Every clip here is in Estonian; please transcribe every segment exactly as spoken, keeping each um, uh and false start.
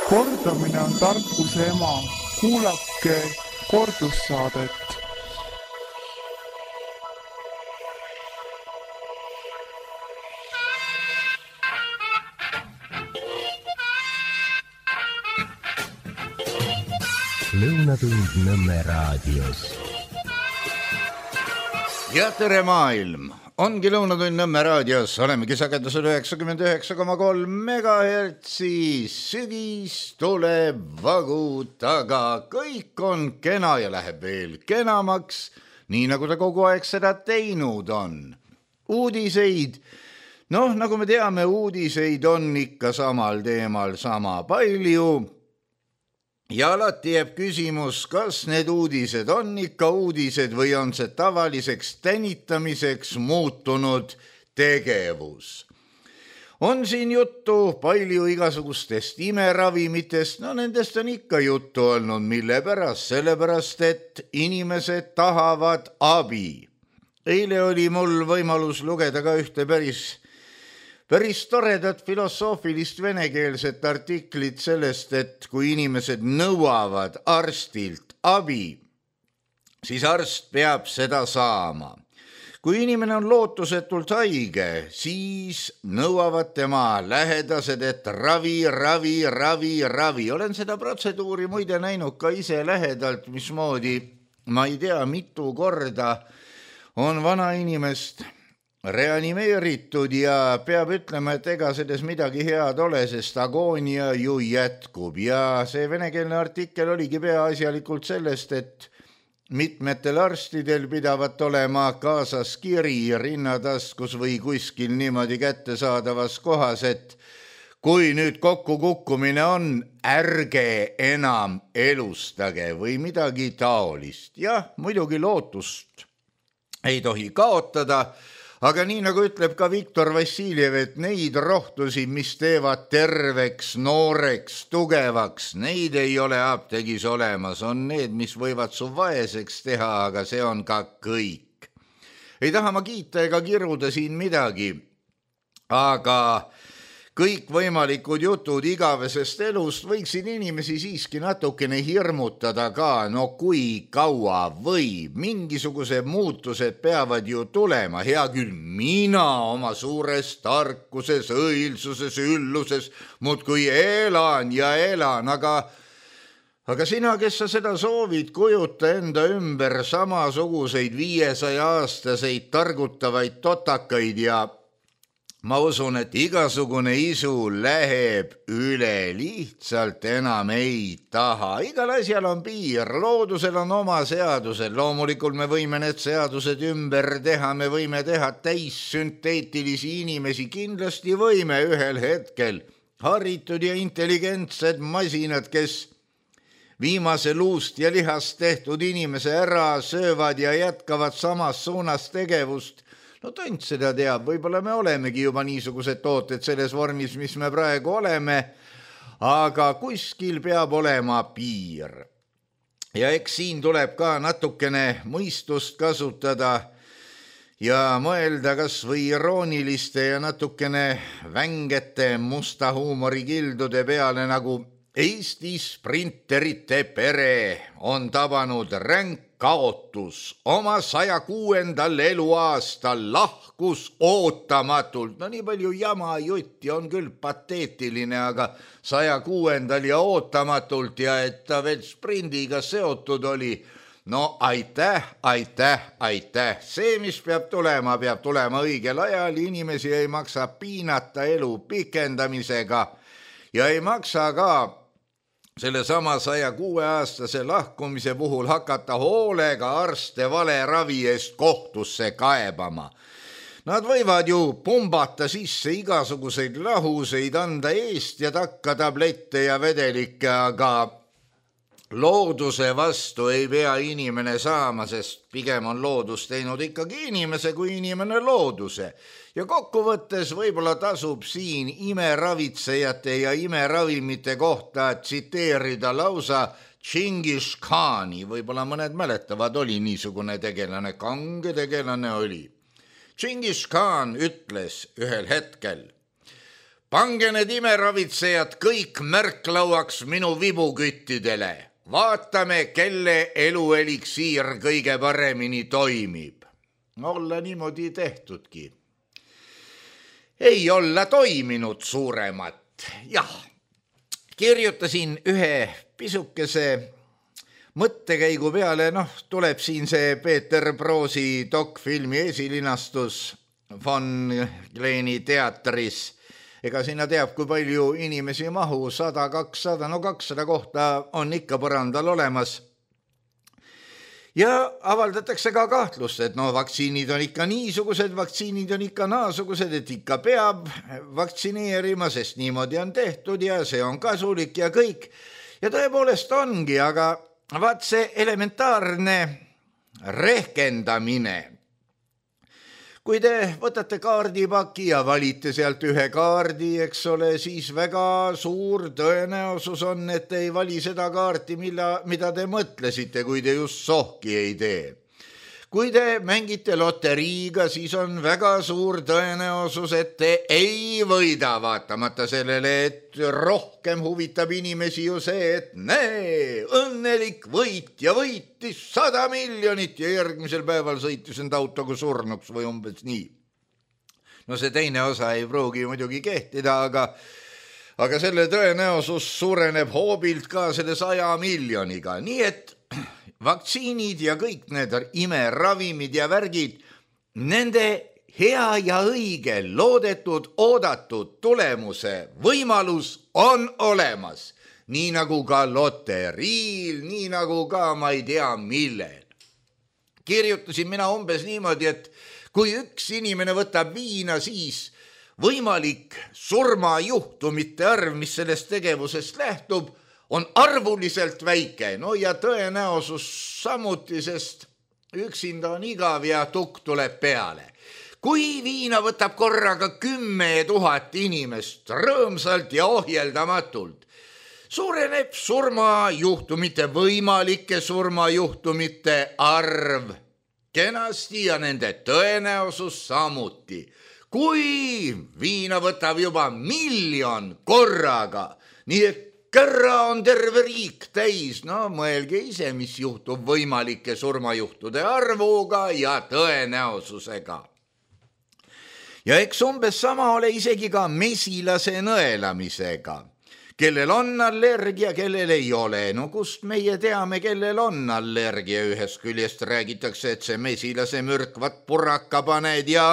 Kordamine on tarkuse ema. Kuulake kordussaadet. Lõunatund Nõmme raadios. Ja tere maailm! Ongi Lõunatund Nõmme raadios, olemegi sagedusel üheksakümmend üheksa koma kolm megahertsi, sügis tuleb vagu taga, kõik on kena ja läheb veel kenamaks, nii nagu ta kogu aeg seda teinud on. Uudiseid, noh nagu me teame, uudiseid on ikka samal teemal sama palju. Ja alati jääb küsimus, kas need uudised on ikka uudised või on see tavaliseks tänitamiseks muutunud tegevus. On siin juttu palju igasugustest imeravimitest, no nendest on ikka juttu olnud, mille pärast, sellepärast, et inimesed tahavad abi. Eile oli mul võimalus lugeda ka ühte päris Päris toredat filosoofilist venekeelset artiklit sellest, et kui inimesed nõuavad arstilt abi, siis arst peab seda saama. Kui inimene on lootusetult haige, siis nõuavad tema lähedased, et ravi, ravi, ravi, ravi. Olen seda protseduuri muide näinud ka ise lähedalt, mismoodi, ma ei tea, mitu korda on vana inimest reanimeeritud ja peab ütlema, et ega selles midagi head ole, sest agoonia ju jätkub. Ja see venekeelne artikkel oligi peaasjalikult sellest, et mitmetel arstidel pidavat olema kaasas kiri rinnataskus või kuskil niimoodi kättesaadavas kohas, et kui nüüd kokkukukkumine on, ärge enam elustage või midagi taolist. Jah, muidugi lootust ei tohi kaotada, aga nii nagu ütleb ka Viktor Vassiljev, et neid rohtusi, mis teevad terveks, nooreks, tugevaks, neid ei ole apteegis olemas. On need, mis võivad su vaeseks teha, aga see on ka kõik. Ei taha ma kiita ega kiruda siin midagi, aga kõik võimalikud jutud igavesest elust võiksid inimesi siiski natukene hirmutada ka, no kui kaua võib, mingisugused muutused peavad ju tulema, hea küll, mina oma suures tarkuses, õilsuses, ülluses, muudkui elan ja elan, aga, aga sina, kes sa seda soovid, kujuta enda ümber samasuguseid viiesaja aastaseid targutavaid totakaid ja ma usun, et igasugune isu läheb üle, lihtsalt enam ei taha. Igal asjal on piir, loodusel on oma seadused, loomulikult me võime need seadused ümber teha, me võime teha täissünteetilisi inimesi, kindlasti võime ühel hetkel. Haritud ja intelligentsed masinad, kes viimase luust ja lihast tehtud inimese ära söövad ja jätkavad samas suunas tegevust. No tont seda teab, võib-olla me olemegi juba niisugused tooted selles vormis, mis me praegu oleme, aga kuskil peab olema piir. Ja eks siin tuleb ka natukene mõistust kasutada ja mõelda kas või irooniliste ja natukene vängete musta huumorikildude peale, nagu Eesti sprinterite pere on tabanud ränk kaotus. Oma saja kuuendal eluaastal lahkus ootamatult. No nii palju jama jutti on küll pateetiline, aga saja kuuendal ja ootamatult ja et ta veel sprindiga seotud oli. No aitäh, aitäh, aitäh. See, mis peab tulema, peab tulema õigel ajal. Inimesi ei maksa piinata elu pikendamisega ja ei maksa ka selle sama saja kuue aastase lahkumise puhul hakata hoolega arste vale ravi eest kohtusse kaebama. Nad võivad ju pumbata sisse igasuguseid lahuseid, anda eest ja takka tablette ja vedelikke, aga looduse vastu ei pea inimene saama, sest pigem on loodus teinud ikkagi inimese kui inimene looduse. Ja kokkuvõttes võib-olla tasub siin imeravitsejate ja imeravimite kohta tsiteerida lausa Džingis Khani. Võib-olla mõned mäletavad, oli niisugune tegelane, kange tegelane oli. Džingis Khan ütles ühel hetkel, pange need imeravitsejad kõik märklauaks minu vibuküttidele. Vaatame, kelle elueliksiir kõige paremini toimib. Olla niimoodi tehtudki. Ei olla toiminud suuremat. Jah, kirjutasin ühe pisukese mõttekäigu peale, noh, tuleb siin see Peeter Broosi dokfilmi esilinastus Von Kleeni teatris. Ega sinna teab, kui palju inimesi mahu, sada, kakssada, no kakssada kohta on ikka põrandal olemas. Ja avaldatakse ka kahtlust, et no vaktsiinid on ikka niisugused, vaktsiinid on ikka naasugused, et ikka peab vaktsineerima, sest niimoodi on tehtud ja see on kasulik ja kõik. Ja tõepoolest ongi, aga vaat see elementaarne rehkendamine. Kui te võtate kaardipaki ja valite sealt ühe kaardi, eks ole, siis väga suur tõenäosus on, et ei vali seda kaarti, milla, mida te mõtlesite, kui te just sohki ei tee. Kui te mängite loteriiga, siis on väga suur tõenäosus, et te ei võida, vaatamata sellele, et rohkem huvitab inimesi ju see, et näe, õnnelik võitja võitis sada miljonit ja järgmisel päeval sõitis end autoga surnuks või umbes nii. No see teine osa ei pruugi muidugi kehtida, aga, aga selle tõenäosus suureneb hoobilt ka selle saja miljoniga, nii et vaktsiinid ja kõik need imeravimid ja värgid, nende hea ja õige, loodetud, oodatud tulemuse võimalus on olemas. Nii nagu ka loteriil, nii nagu ka ma ei tea millel. Kirjutasin mina umbes niimoodi, et kui üks inimene võtab viina, siis võimalik surmajuhtumite arv, mis sellest tegevusest lähtub, on arvuliselt väike, no ja tõenäosus samuti, sest üksinda on igav ja tukk tuleb peale. Kui viina võtab korraga kümme tuhat inimest rõõmsalt ja ohjeldamatult, suureneb surmajuhtumite, võimalike surmajuhtumite arv kenasti ja nende tõenäosus samuti. Kui viina võtab juba miljon korraga, nii et Kerra on terve riik täis, no mõelge ise, mis juhtub võimalike surmajuhtude arvuga ja tõenäosusega. Ja eks umbes sama ole isegi ka mesilase nõelamisega. Kellel on allergia, kellel ei ole. No kust meie teame, kellel on allergia? Ühest küljest räägitakse, et see mesilase mürkvat purraka paned ja,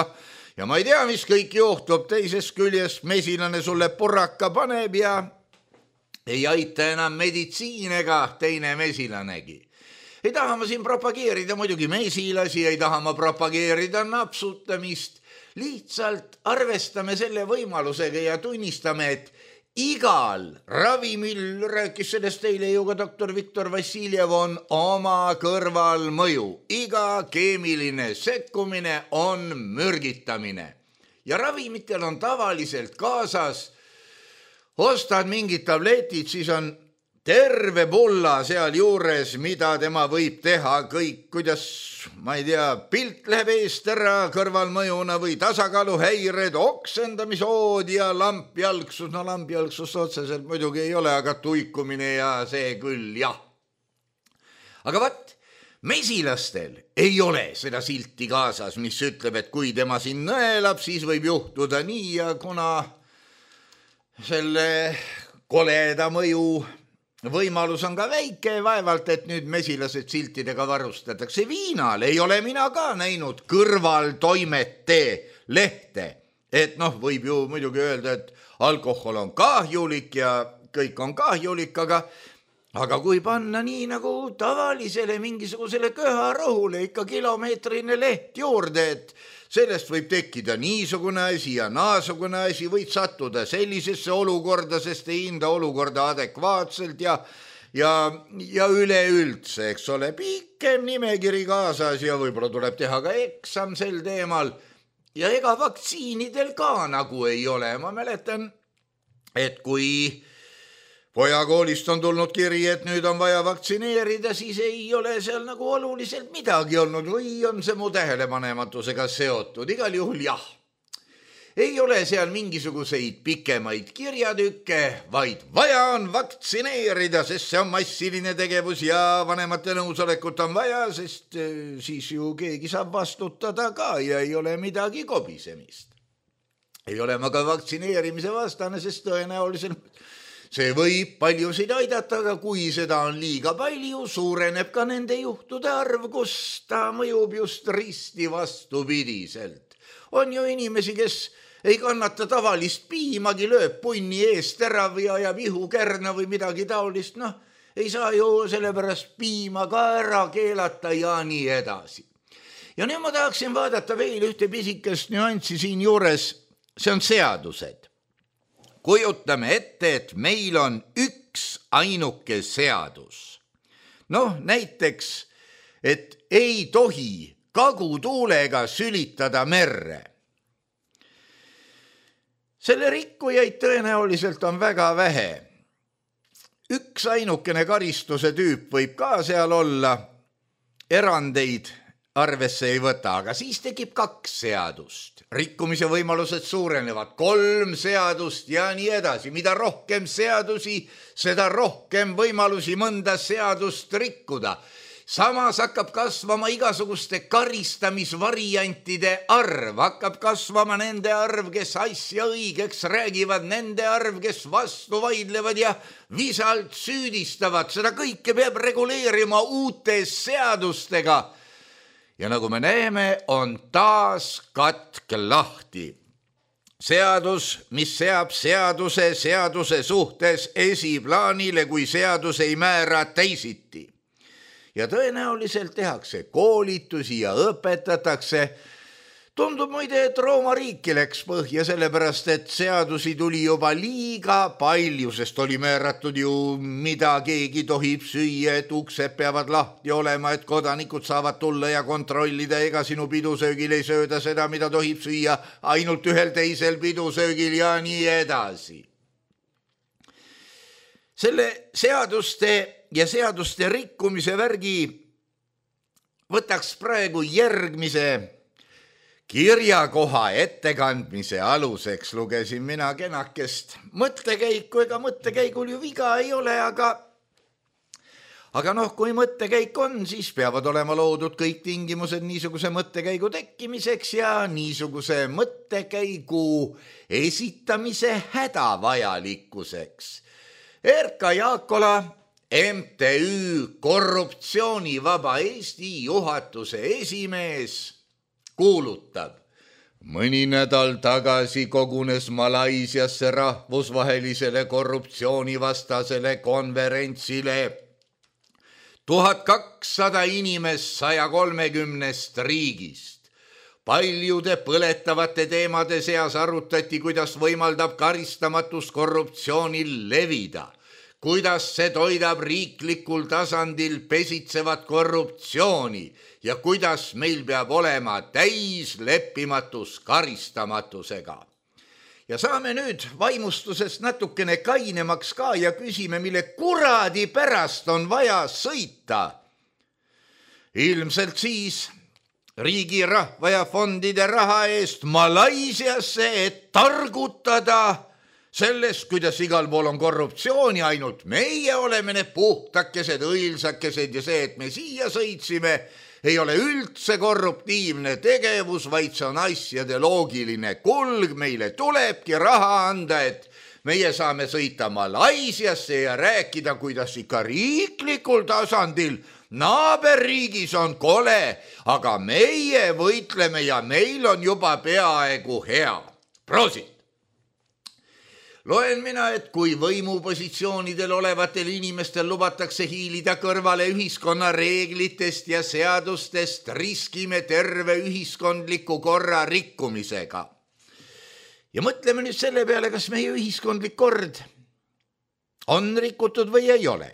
ja ma ei tea, mis kõik juhtub. Teisest küljest mesilane sulle purraka paneb ja ei aita enam meditsiin ega teine mesilanegi. Ei taha ma siin propageerida muidugi mesilasi, ei taha ma propageerida napsutamist. Lihtsalt arvestame selle võimalusega ja tunnistame, et igal ravimil, rääkis sellest teile ju ka doktor Viktor Vassiljev, on oma kõrvalmõju. Iga keemiline sekkumine on mürgitamine. Ja ravimitel on tavaliselt kaasas ostad mingid tabletid, siis on terve pulla seal juures, mida tema võib teha kõik, kuidas, ma ei tea, pilt läheb eest ära kõrvalmõjuna või tasakaaluhäired, oksendamisood ja lampjalgsus. No lampjalgsus otseselt muidugi ei ole, aga tuikumine ja see küll, jah. Aga vaat, mesilastel ei ole seda silti kaasas, mis ütleb, et kui tema siin nõelab, siis võib juhtuda nii ja kuna selle koleda mõju võimalus on ka väike, vaevalt, et nüüd mesilased siltidega varustatakse. Viinal ei ole mina ka näinud kõrvaltoimete lehte. Et noh, võib ju muidugi öelda, et alkohol on kahjulik ja kõik on kahjulik, aga, aga kui panna nii nagu tavalisele mingisugusele köharõhule ikka kilomeetrine leht juurde, et sellest võib tekkida niisugune asi ja naasugune asi, võid sattuda sellisesse olukorda, sest ei hinda olukorda adekvaatselt ja, ja, ja üleüldse, eks ole, pikem nimekiri kaasas ja võib-olla tuleb teha ka eksam sel teemal. Ja ega vaktsiinidel ka nagu ei ole. Ma mäletan, et kui pojakoolist on tulnud kiri, et nüüd on vaja vaktsineerida, siis ei ole seal nagu oluliselt midagi olnud või on see mu tähelepanematusega seotud. Igal juhul jah. ei ole seal mingisuguseid pikemaid kirjatükke, vaid vaja on vaktsineerida, sest see on massiline tegevus ja vanemate nõusolekut on vaja, sest siis ju keegi saab vastutada ka ja ei ole midagi kobisemist. Ei ole ma ka vaktsineerimise vastane, sest tõenäoliselt see võib paljusid aidata, aga kui seda on liiga palju, suureneb ka nende juhtude arv, kus ta mõjub just risti vastupidiselt. On ju inimesi, kes ei kannata tavalist piimagi, lööb punni eest ära või ajab ihukärna või midagi taolist, noh, ei saa ju sellepärast piima ka ära keelata ja nii edasi. Ja nüüd ma tahaksin vaadata veel ühte pisikest nüanssi siin juures, see on seadused. Kujutame ette, et meil on üks ainuke seadus. Noh, näiteks, et ei tohi kagutuulega sülitada merre. Selle rikkujaid tõenäoliselt on väga vähe. Üks ainukene karistuse tüüp võib ka seal olla, erandeid arvesse ei võta, aga siis tekib kaks seadust. Rikkumise võimalused suurenevad, kolm seadust ja nii edasi. Mida rohkem seadusi, seda rohkem võimalusi mõnda seadust rikkuda. Samas hakkab kasvama igasuguste karistamisvariantide arv, hakkab kasvama nende arv, kes asja õigeks räägivad, nende arv, kes vastu vaidlevad ja visalt süüdistavad. Seda kõike peab reguleerima uute seadustega. Ja nagu me näeme, on taas katk lahti. Seadus, mis seab seaduse seaduse suhtes esiplaanile, kui seadus ei määra teisiti. Ja tõenäoliselt tehakse koolitusi ja õpetatakse. Tundub muide, et Rooma riiki läks põhja, sellepärast, et seadusi tuli juba liiga palju, sest oli määratud ju, mida keegi tohib süüa, et uksed peavad lahti olema, et kodanikud saavad tulla ja kontrollida, ega sinu pidusöögil ei sööda seda, mida tohib süüa ainult ühel teisel pidusöögil ja nii edasi. Selle seaduste ja seaduste rikkumise värgi võtaks praegu järgmise kirjakoha ettekandmise aluseks. Lugesin mina kenakest mõttekäiku, ega mõttekäigul ju viga ei ole, aga aga noh, kui mõttekäik on, siis peavad olema loodud kõik tingimused niisuguse mõttekäigu tekkimiseks ja niisuguse mõttekäigu esitamise hädavajalikkuseks. Erka Jaakola, M T Ü Korruptsioonivaba Eesti juhatuse esimees, kuulutab. Mõni nädal tagasi kogunes Malaisiasse rahvusvahelisele korruptsioonivastasele konverentsile. tuhat kakssada inimest saja kolmekümnest riigist. Paljude põletavate teemade seas arutati, kuidas võimaldab karistamatus korruptsioonil levida, kuidas see toidab riiklikul tasandil pesitsevat korruptsiooni ja kuidas meil peab olema täis leppimatus karistamatusega. Ja saame nüüd vaimustusest natukene kainemaks ka ja küsime, mille kuradi pärast on vaja sõita. Ilmselt siis riigi rahva ja fondide raha eest Malaisiasse, et targutada sellest, kuidas igal pool on korruptsiooni, ainult meie oleme need puhtakesed, õilsakesed ja see, et me siia sõitsime, ei ole üldse korruptiivne tegevus, vaid see on asjade loogiline kulg. Meile tulebki raha anda, et meie saame sõita Malaisiasse ja rääkida, kuidas ikka riiklikul tasandil naaberriigis on kole, aga meie võitleme ja meil on juba peaaegu hea. Prosit! Loen mina, et kui võimupositsioonidel olevatel inimestel lubatakse hiilida kõrvale ühiskonna reeglitest ja seadustest, riskime terve ühiskondliku korra rikkumisega. Ja mõtleme nüüd selle peale, kas meie ühiskondlik kord on rikutud või ei ole.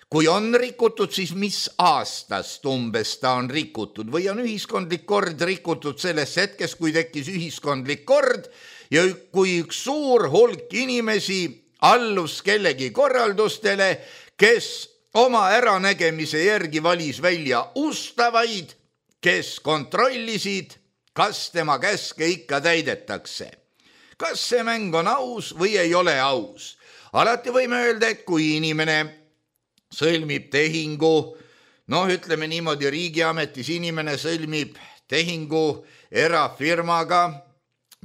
Kui on rikutud, siis mis aastast umbes ta on rikutud või on ühiskondlik kord rikutud selles hetkes, kui tekkis ühiskondlik kord ja kui üks suur hulk inimesi allus kellegi korraldustele, kes oma äranägemise järgi valis välja ustavaid, kes kontrollisid kas tema käske ikka täidetakse. Kas see mäng on aus või ei ole aus? Alati võime öelda, et kui inimene sõlmib tehingu, noh ütleme niimoodi, riigiametis inimene sõlmib tehingu erafirmaga,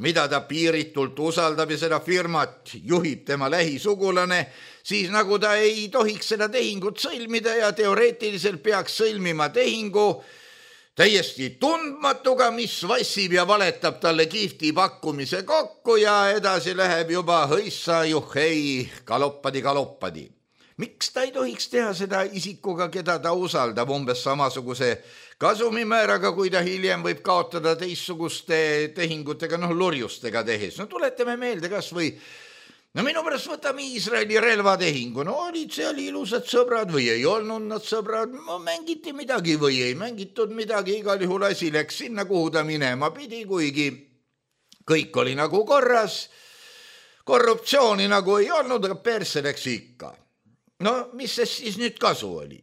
mida ta piiritult usaldab ja seda firmat juhib tema lähisugulane, siis nagu ta ei tohiks seda tehingut sõlmida ja teoreetiliselt peaks sõlmima tehingu täiesti tundmatuga, mis vassib ja valetab talle kihvti pakkumise kokku ja edasi läheb juba hõissa juhhei galoppadi galoppadi. Miks ta ei tohiks teha seda isikuga, keda ta usaldab umbes samasuguse kasumimääraga, kui ta hiljem võib kaotada teistsuguste tehingutega, noh lurjustega tehes. No tuletame meelde kas või, no minu pärast võtame Iisraeli relvatehingu, no olid seal ilusad sõbrad või ei olnud nad sõbrad, no mängiti midagi või ei mängitud midagi, igal juhul asi läks sinna, kuhu ta minema pidi, kuigi kõik oli nagu korras, korruptsiooni nagu ei olnud, aga perse läks ikka. No mis sest siis nüüd kasu oli?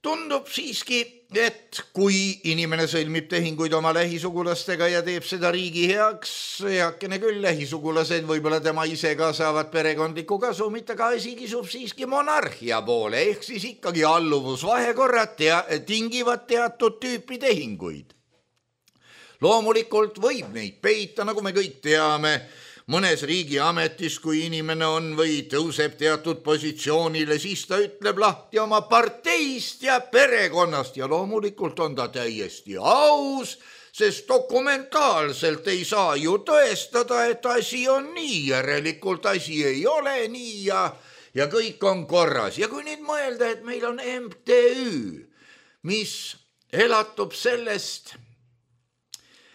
Tundub siiski, et kui inimene sõlmib tehinguid oma lähisugulastega ja teeb seda riigi heaks, heakene küll lähisugulased, võib-olla tema ise ka saavad perekondliku kasumit, aga asi kisub siiski monarhia poole, ehk siis ikkagi alluvusvahekorrad tea, tingivad teatud tüüpi tehinguid. Loomulikult võib neid peita, nagu me kõik teame, mõnes riigi ametis, kui inimene on või tõuseb teatud positsioonile, siis ta ütleb lahti oma parteist ja perekonnast ja loomulikult on ta täiesti aus, sest dokumentaalselt ei saa ju tõestada, et asi on nii, järelikult asi ei ole nii ja, ja kõik on korras. Ja kui nüüd mõelda, et meil on M T Ü, mis elatub sellest,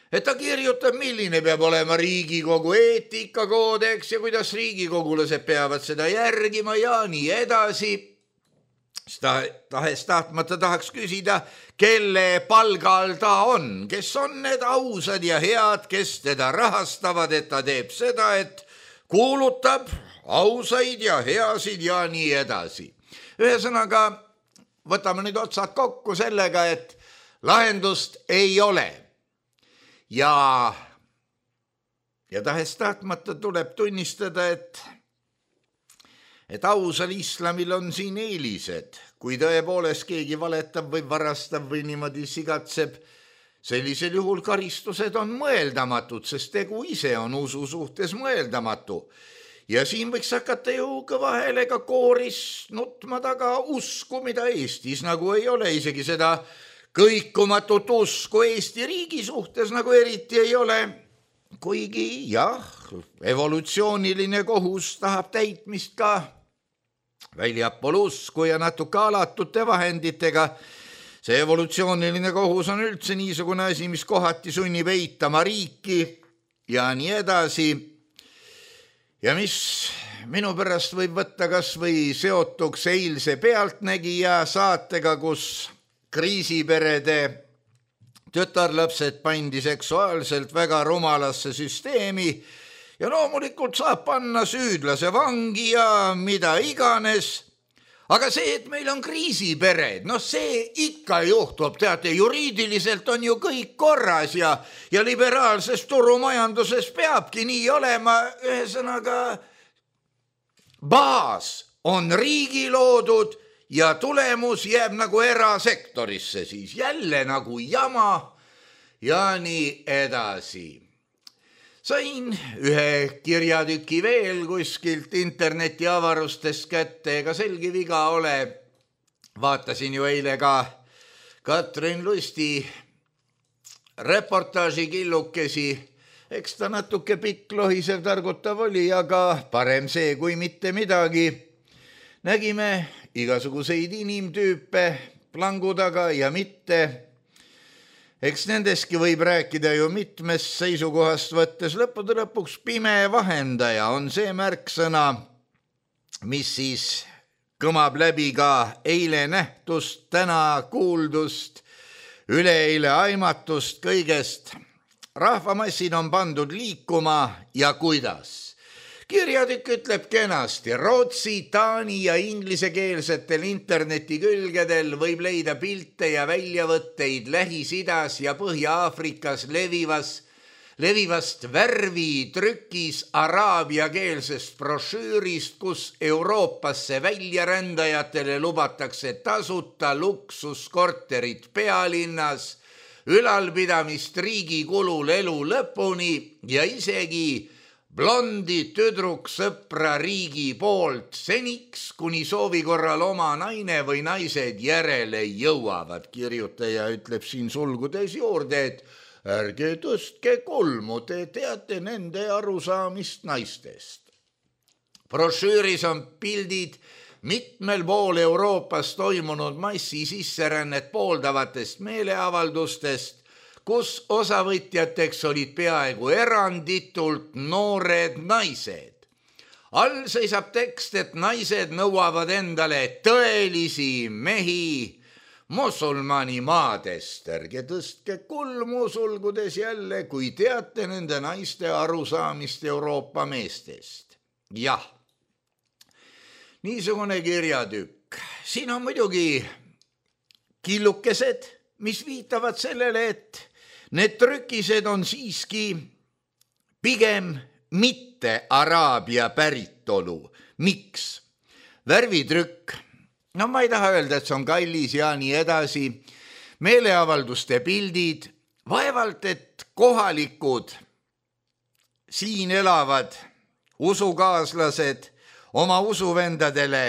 et ta kirjutab, milline peab olema Riigikogu eetikakoodeks ja kuidas riigikogulased peavad seda järgima ja nii edasi. Tahes tahtmata tahaks küsida, kelle palgal ta on, kes on need ausad ja head, kes teda rahastavad, et ta teeb seda, et kuulutab ausaid ja heasid ja nii edasi. Ühesõnaga, võtame nüüd otsad kokku sellega, et lahendust ei ole. Ja, ja tahes tahtmata tuleb tunnistada, et, et ausal islamil on siin eelised. Kui tõepoolest keegi valetab või varastab või niimoodi sigatseb, sellisel juhul karistused on mõeldamatud, sest tegu ise on usu suhtes mõeldamatu. Ja siin võiks hakata ju kõva häälega kooris nutma taga usku, mida Eestis nagu ei ole, isegi seda kõikumatut usku Eesti riigi suhtes nagu eriti ei ole, kuigi jah, evolutsiooniline kohus tahab täitmist ka väljapool usku ja natuke alatute vahenditega. See evolutsiooniline kohus on üldse niisugune asi, mis kohati sunnib eitama riiki ja nii edasi. Ja mis minu pärast võib võtta kas või seotuks eilse Pealtnägija saatega, kus kriisiperede tütarlapsed pandi seksuaalselt väga rumalasse süsteemi ja loomulikult saab panna süüdlase vangi ja mida iganes. Aga see, et meil on kriisipered, noh see ikka juhtub, teate, juriidiliselt on ju kõik korras ja, ja liberaalses turumajanduses peabki nii olema, ühesõnaga baas on riigi loodud ja tulemus jääb nagu erasektorisse, siis jälle nagu jama ja nii edasi. Sain ühe kirjatüki veel kuskilt interneti avarustest kätte, ega selgi viga ole. Vaatasin ju eile ka Katrin Lusti reportaaži killukesi. Eks ta natuke pikk lohisev targutav oli, aga parem see kui mitte midagi. Nägime igasuguseid inimtüüpe plangu taga ja mitte. Eks nendeski võib rääkida ju mitmest seisukohast võttes. Lõppude lõpuks pime vahendaja on see märksõna, mis siis kõmab läbi ka eile nähtust, täna kuuldust, üleeile aimatust kõigest. Rahvamassid on pandud liikuma ja kuidas? kirjatükk ütleb kenasti, Rootsi, taani ja inglisekeelsetel internetikülgedel võib leida pilte ja väljavõtteid Lähis-Idas ja Põhja-Aafrikas levivas levivast värvitrükis araabiakeelsest brošüürist, kus Euroopasse väljarändajatele lubatakse tasuta luksuskorterit pealinnas, ülalpidamist riigi kulul elu lõpuni ja isegi blondi tüdruksõpra riigi poolt seniks, kuni soovi korral oma naine või naised järele jõuavad. Kirjutaja ütleb siin sulgudes juurde, et ärge tõstke kulmu, te teate nende arusaamist naistest. Brošüüris on pildid mitmel pool Euroopas toimunud massi sisserännet pooldavatest meeleavaldustest, kus osavõtjateks olid peaaegu eranditult noored naised. All seisab tekst, et naised nõuavad endale tõelisi mehi musulmani maadest. Ärge tõstke kulmu sulgudes jälle, kui teate nende naiste arusaamist Euroopa meestest. Jah, niisugune kirjatükk. Siin on muidugi killukesed, mis viitavad sellele, et need trükised on siiski pigem mitte araabia päritolu. Miks? Värvitrükk. No ma ei taha öelda, et see on kallis ja nii edasi. Meeleavalduste pildid, vaevalt, et kohalikud siin elavad usukaaslased oma usuvendadele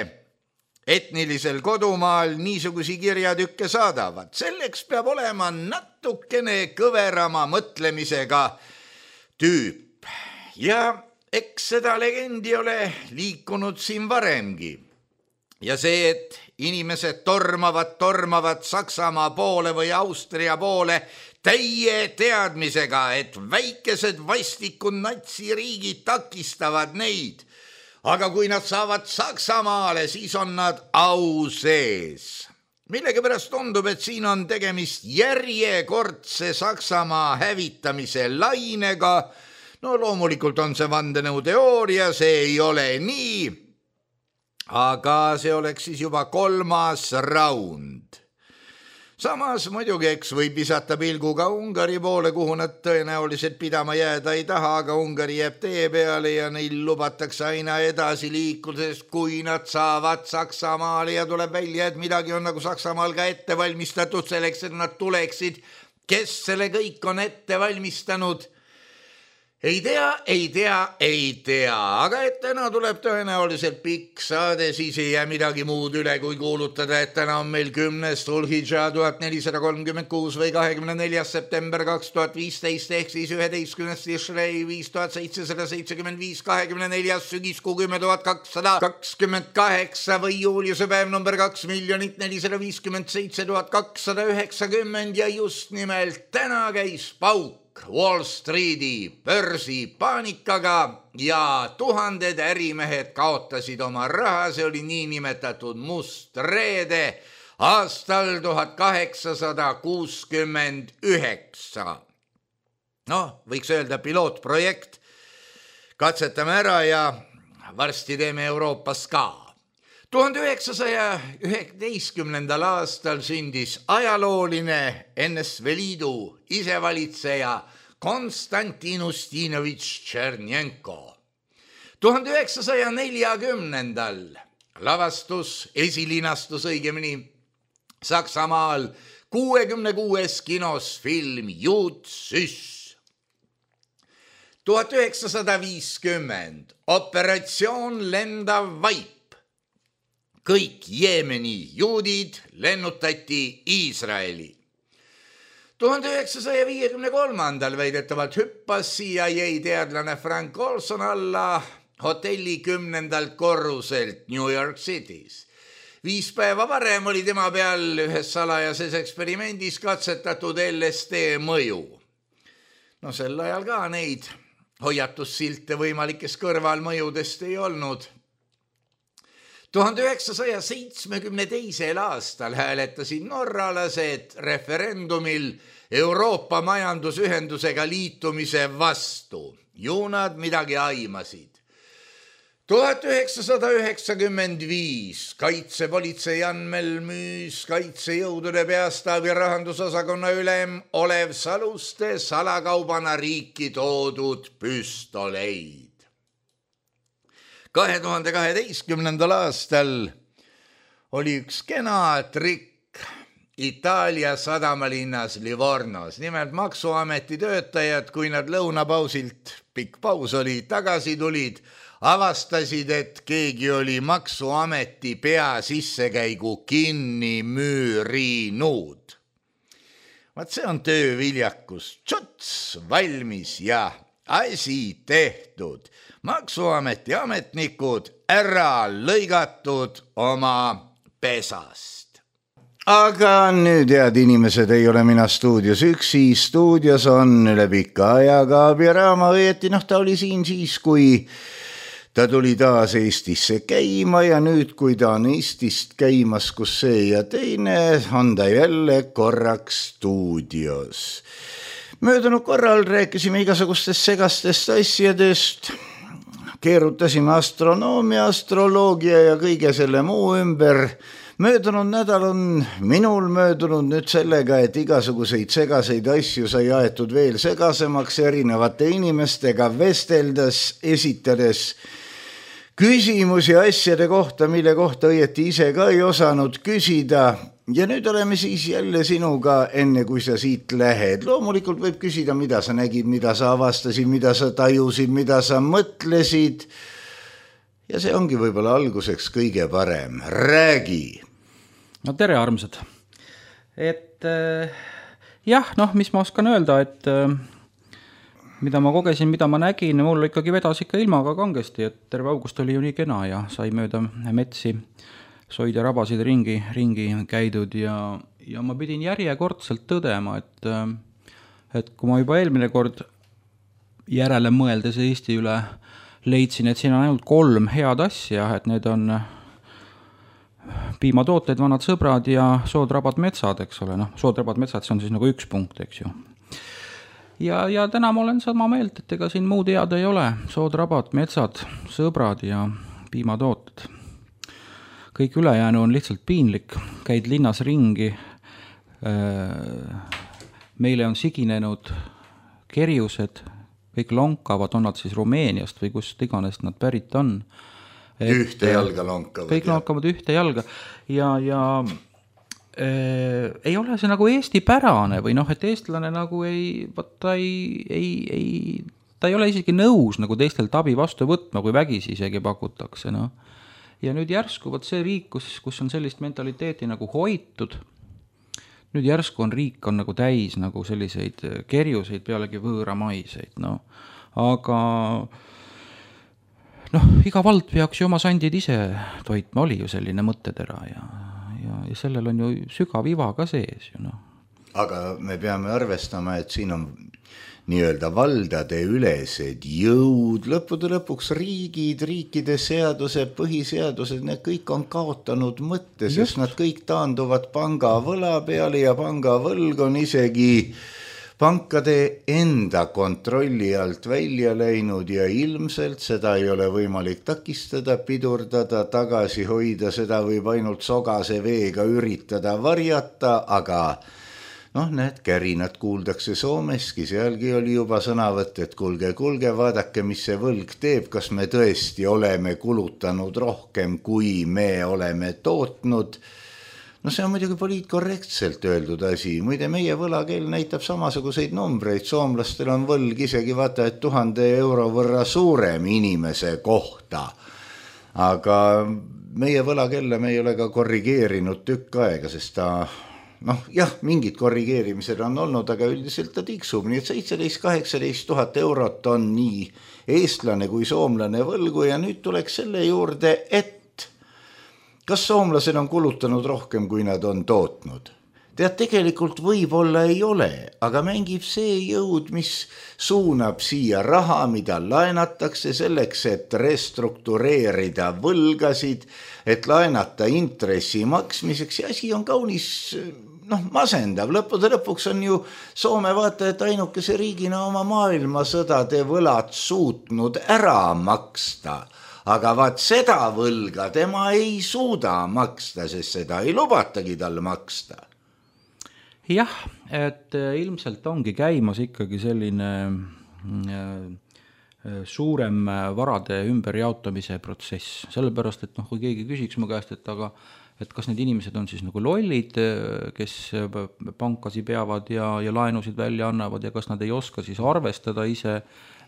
etnilisel kodumaal niisugusi kirjatükke saadavad. Selleks peab olema natukene kõverama mõtlemisega tüüp. Ja eks seda legendi ole liikunud siin varemgi. Ja see, et inimesed tormavad, tormavad Saksamaa poole või Austria poole täie teadmisega, et väikesed vastikud natsiriigid takistavad neid. Aga kui nad saavad Saksamaale, siis on nad au sees. Millegipärast tundub, et siin on tegemist järjekordse Saksamaa hävitamise lainega. No loomulikult on see vandenõuteooria, see ei ole nii. Aga see oleks siis juba kolmas raund. Samas muidugi eks võib visata pilguga Ungari poole, kuhu nad tõenäoliselt pidama jääda ei taha, aga Ungari jääb tee peale ja neil lubatakse aina edasi liikudes, kui nad saavad Saksamaale ja tuleb välja, et midagi on nagu Saksamaal ka ette valmistatud selleks, et nad tuleksid. Kes selle kõik on ette valmistanud? Ei tea, ei tea, ei tea, aga et täna tuleb tõenäoliselt pikk saade, siis ei jää midagi muud üle, kui kuulutada, et täna on meil kümnes Dhul-Hidža tuhat nelisada kolmkümmend kuus või kahekümne neljas september kaks tuhat viisteist ehk siis üheteistkümnes Tishrei viis tuhat seitsesada seitsekümmend viis, kahekümne neljas sügiskuu kümme tuhat kakssada kakskümmend kaheksa või juuliuse päev number kaks miljonit nelisada viiskümmend seitse tuhat kakssada üheksakümmend ja just nimelt täna käis pauk Wall Streeti börsi paanikaga ja tuhanded ärimehed kaotasid oma raha, see oli niinimetatud must reede aastal tuhat kaheksasada kuuskümmend üheksa. Noh, võiks öelda pilootprojekt, katsetame ära ja varsti teeme Euroopas ka. tuhande üheksasaja üheteistkümnendal aastal sündis ajalooline N S V Liidu isevalitseja Konstantin Ustinovitš Tšernjenko. tuhande üheksasaja neljakümnendal lavastus, esilinastus õigemini Saksamaal kuuekümne kuues kinos film Jud Süss. tuhat üheksasada viiskümmend operatsioon Lendav vaip. Kõik Jeemeni juudid lennutati Iisraeli. tuhande üheksasaja viiekümne kolmandal väidetavalt hüppas C I A teadlane Frank Olson alla hotelli kümnendalt korruselt New York City's. Viis päeva varem oli tema peal ühes salajases eksperimendis katsetatud L S D mõju. No sel ajal ka neid hoiatussilte võimalikest kõrvalmõjudest ei olnud. tuhande üheksasaja seitsmekümne teisel aastal hääletasid norralased referendumil Euroopa majandusühendusega liitumise vastu. Ju nad midagi aimasid. tuhat üheksasada üheksakümmend viis kaitsepolitsei andmel müüs kaitsejõudude peastaabi rahandusosakonna ülem Olev Saluste salakaubana riiki toodud püstoleid. kahe tuhande kaheteistkümnendal aastal oli üks kena trikk Itaalia sadamalinnas Livornos. Nimelt maksuameti töötajad, kui nad lõunapausilt, pikk paus oli, tagasi tulid, avastasid, et keegi oli maksuameti pea sissekäigu kinni müürinud. Vaat see on tööviljakus. Tšots, valmis ja asi tehtud. Maksuameti ametnikud ära lõigatud oma pesast. Aga nüüd, head inimesed, ei ole mina stuudios üksi. Stuudios on üle pika aja Kaabi Raama, õieti, noh, ta oli siin siis, kui ta tuli taas Eestisse käima ja nüüd, kui ta on Eestist käimas, kus see ja teine, on ta jälle korraks stuudios. Möödunud korral rääkisime igasugustest segastest asjadest, keerutasime astronoomia, astroloogia ja kõige selle muu ümber. Möödunud nädal on minul möödunud nüüd sellega, et igasuguseid segaseid asju sai aetud veel segasemaks erinevate inimestega vesteldes, esitades küsimusi asjade kohta, mille kohta õieti ise ka ei osanud küsida. Ja nüüd oleme siis jälle sinuga, enne kui sa siit lähed. Loomulikult võib küsida, mida sa nägid, mida sa avastasid, mida sa tajusid, mida sa mõtlesid. Ja see ongi võib-olla alguseks kõige parem. Räägi! No tere, armsad! Et äh, jah, noh, mis ma oskan öelda, et äh, mida ma kogesin, mida ma nägin, mul ikkagi vedas ikka ilmaga kangesti, et terve august oli ju nii kena ja sai mööda metsi soid ja rabasid ringi, ringi käidud ja, ja ma pidin järjekordselt tõdema, et, et kui ma juba eelmine kord järele mõeldes Eesti üle leidsin, et siin on ainult kolm head asja, et need on piimatooted, vanad sõbrad ja soodrabad metsad, eks ole, noh, soodrabad metsad, see on siis nagu üks punkt, eks ju. Ja, ja täna ma olen sama meelt, et ega siin muud head ei ole, soodrabad, metsad, sõbrad ja piimatooted. Kõik ülejäänu on lihtsalt piinlik, käid linnas ringi, meile on siginenud kerjused, kõik lonkavad, on nad siis Rumeeniast või kust iganes nad pärit on. Et ühte jalga lonkavad. Kõik lonkavad ühte jalga ja, ja äh, ei ole see nagu Eesti pärane või noh, et eestlane nagu ei, ta ei, ei, ei, ta ei ole isegi nõus nagu teistelt abi vastu võtma, kui vägisi isegi pakutakse, noh. Ja nüüd järsku võt see riik, kus, kus on sellist mentaliteeti nagu hoitud, nüüd järsku on riik on nagu täis nagu selliseid kerjuseid pealegi võõramaiseid, no. Aga noh, iga vald peaks ju oma sandid ise toitma, oli ju selline mõttetera ja, ja, ja sellel on ju sügav iva ka sees ju, noh. Aga me peame arvestama, et siin on nii-öelda valdade ülesed jõud, lõppude lõpuks riigid, riikide seadused, põhiseadused, need kõik on kaotanud mõtte, sest nad kõik taanduvad panga võla peale ja panga võlg on isegi pankade enda kontrolli alt välja läinud ja ilmselt seda ei ole võimalik takistada, pidurdada, tagasi hoida, seda võib ainult sogase veega üritada varjata, aga noh, need kärinad kuuldakse Soomeski, sealgi oli juba sõnavõtt, et kulge, kulge, vaadake, mis see võlg teeb, kas me tõesti oleme kulutanud rohkem, kui me oleme tootnud. No see on muidugi poliitkorrektselt öeldud asi. Muide, meie võlakeel näitab samasuguseid numbreid. Soomlastel on võlg isegi vaata, et tuhande euro võrra suurem inimese kohta. Aga meie võlakella me ei ole ka korrigeerinud tükk aega, sest ta noh, jah, mingid korrigeerimised on olnud, aga üldiselt ta tiksub. Nii et seitseteist kaheksateist tuhat eurot on nii eestlane kui soomlane võlgu ja nüüd tuleks selle juurde, et kas soomlased on kulutanud rohkem, kui nad on tootnud? Tead, tegelikult võib-olla ei ole, aga mängib see jõud, mis suunab siia raha, mida laenatakse selleks, et restruktureerida võlgasid, et laenata intressi maksmiseks ja asi on kaunis noh, masendav. Lõppude lõpuks on ju Soome vaata, et ainukese riigina oma maailmasõdade võlad suutnud ära maksta. aga vaat seda võlga tema ei suuda maksta, sest seda ei lubatagi tal maksta. Jah, et ilmselt ongi käimas ikkagi selline suurem varade ümberjaotamise protsess, sellepärast, et noh, kui keegi küsiks mu käest, et aga et kas need inimesed on siis nagu lollid, kes pankasi peavad ja, ja laenusid välja annavad ja kas nad ei oska siis arvestada ise,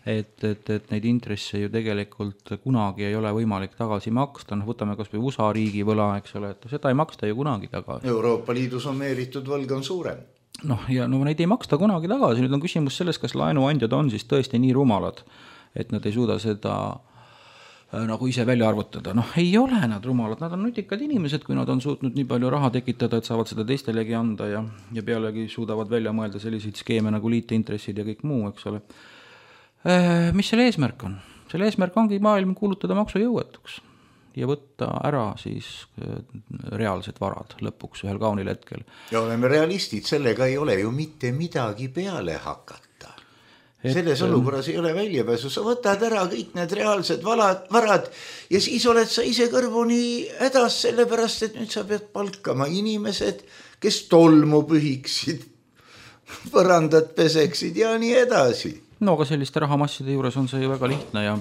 et, et, et neid intresse ju tegelikult kunagi ei ole võimalik tagasi maksta, noh võtame kas või U S A riigi võla, eks ole, et seda ei maksta ju kunagi tagasi. Euroopa Liidus on meeritud võlg on suurem. Noh, ja no neid ei maksta kunagi tagasi, nüüd on küsimus selles, kas laenuandjad on siis tõesti nii rumalad, et nad ei suuda seda nagu ise välja arvutada. Noh, ei ole nad rumalad, nad on nutikad inimesed, kui nad on suutnud nii palju raha tekitada, et saavad seda teistelegi anda ja, ja pealegi suudavad välja mõelda selliseid skeeme nagu liitintressid ja kõik muu, eks ole. Mis selle eesmärk on? Selle eesmärk ongi maailm kuulutada maksujõuetuks ja võtta ära siis reaalsed varad lõpuks ühel kaunil hetkel. Ja oleme realistid, sellega ei ole ju mitte midagi peale hakata. Et selles olukorras ei ole väljapääsu, sa võtad ära kõik need reaalsed valad, varad ja siis oled sa ise kõrvuni hädas, sellepärast, et nüüd sa pead palkama inimesed, kes tolmu pühiksid, põrandad peseksid ja nii edasi. No aga selliste rahamasside juures on see ju väga lihtne ja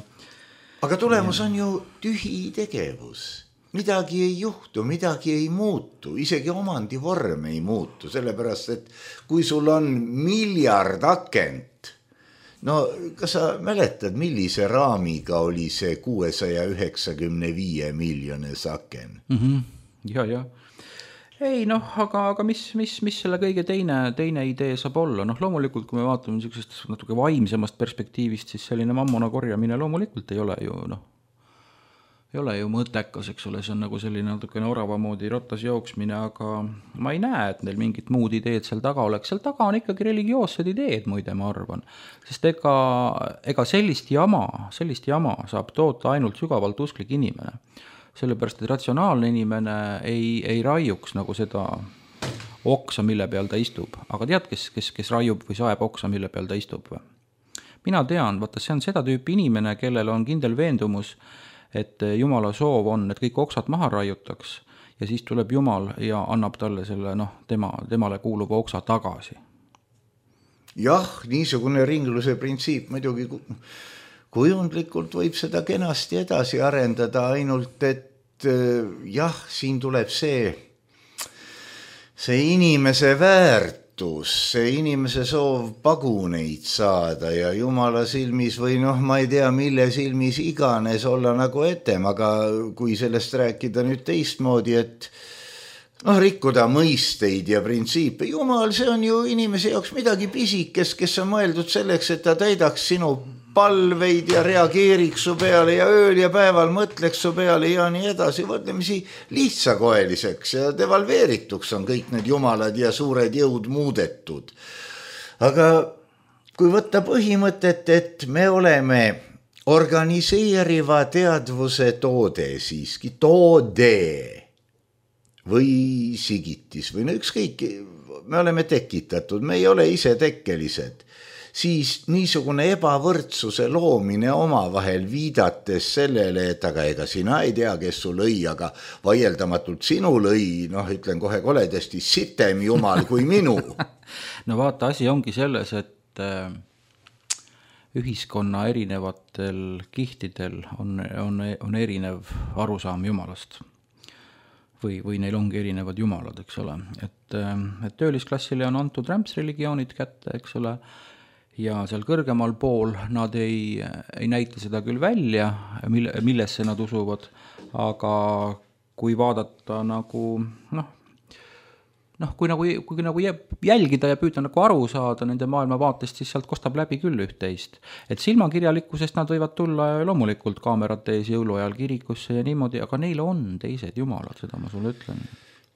aga tulemus on ju tühi tegevus. Midagi ei juhtu, midagi ei muutu, isegi omandi vorm ei muutu, sellepärast, et kui sul on miljard akent, no kas sa mäletad, millise raamiga oli see kuuesaja üheksakümne viie miljones aken? Mm-hmm. Ja, ja. Ei noh, aga, aga mis, mis, mis selle kõige teine, teine idee saab olla? Noh, loomulikult, kui me vaatame niisugusest natuke vaimsemast perspektiivist, siis selline mammona korjamine loomulikult ei ole ju, noh, ei ole ju mõttekas, eks ole, see on nagu selline natuke orava moodi rotas jooksmine, aga ma ei näe, et neil mingit muud ideed seal taga oleks. Seal taga on ikkagi religioossed ideed, muide, ma arvan. Sest ega, ega sellist jama, sellist jama saab toota ainult sügavalt usklik inimene. Sellepärast, et ratsionaalne inimene ei, ei raiuks nagu seda oksa, mille peal ta istub. Aga tead, kes, kes, kes raiub või saeb oksa, mille peal ta istub? Mina tean, vaata, see on seda tüüpi inimene, kellel on kindel veendumus, et Jumala soov on, et kõik oksad maha raiutaks ja siis tuleb Jumal ja annab talle selle, noh, tema, temale kuuluva oksa tagasi. Jah, niisugune ringluse printsiip muidugi kujundlikult võib seda kenasti edasi arendada, ainult et jah, siin tuleb see, see inimese väärtus, see inimese soov paguneid saada ja Jumala silmis või noh, ma ei tea, mille silmis iganes olla nagu etem, aga kui sellest rääkida nüüd teistmoodi, et noh, rikkuda mõisteid ja printsiipe. Jumal, see on ju inimese jaoks midagi pisikest, kes on mõeldud selleks, et ta täidaks sinu palveid ja reageeriks su peale ja ööl ja päeval mõtleks su peale ja nii edasi, võtlemisi lihtsakoeliseks ja devalveerituks on kõik need jumalad ja suured jõud muudetud. Aga kui võtta põhimõtet, et me oleme organiseeriva teadvuse toode siiski, toode või sigitis või no ükskõik, me oleme tekitatud, me ei ole ise tekkelised, siis niisugune ebavõrdsuse loomine omavahel viidates sellele, et aga ega sina ei tea, kes su lõi, aga vaieldamatult sinu lõi, noh, ütlen kohe koledasti, sitem Jumal kui minu. No vaata, asi ongi selles, et ühiskonna erinevatel kihtidel on, on, on erinev arusaam Jumalast. Või, või neil ongi erinevad jumalad, eks ole. Et, et töölisklassile on antud rämpsreligioonid kätte, eks ole, ja seal kõrgemal pool nad ei, ei näita seda küll välja, mille, millesse nad usuvad, aga kui vaadata nagu, noh, noh kui, nagu, kui nagu jälgida ja püüda nagu aru saada nende maailmavaatest, siis sealt kostab läbi küll üht-teist. Et silmakirjalikkusest nad võivad tulla loomulikult kaamerate ees jõuluajal kirikusse ja niimoodi, aga neil on teised jumalad, seda ma sulle ütlen.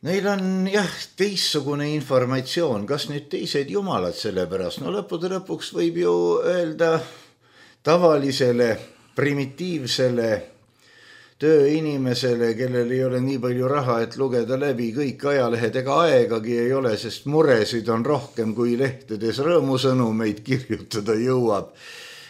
Neil on jah teissugune informatsioon, kas nüüd teised jumalad selle pärast, no lõppude lõpuks võib ju öelda tavalisele, primitiivsele tööinimesele, kellel ei ole nii palju raha, et lugeda läbi kõik ajalehed, ega aegagi ei ole, sest muresid on rohkem kui lehtedes rõõmusõnumeid kirjutada jõuab.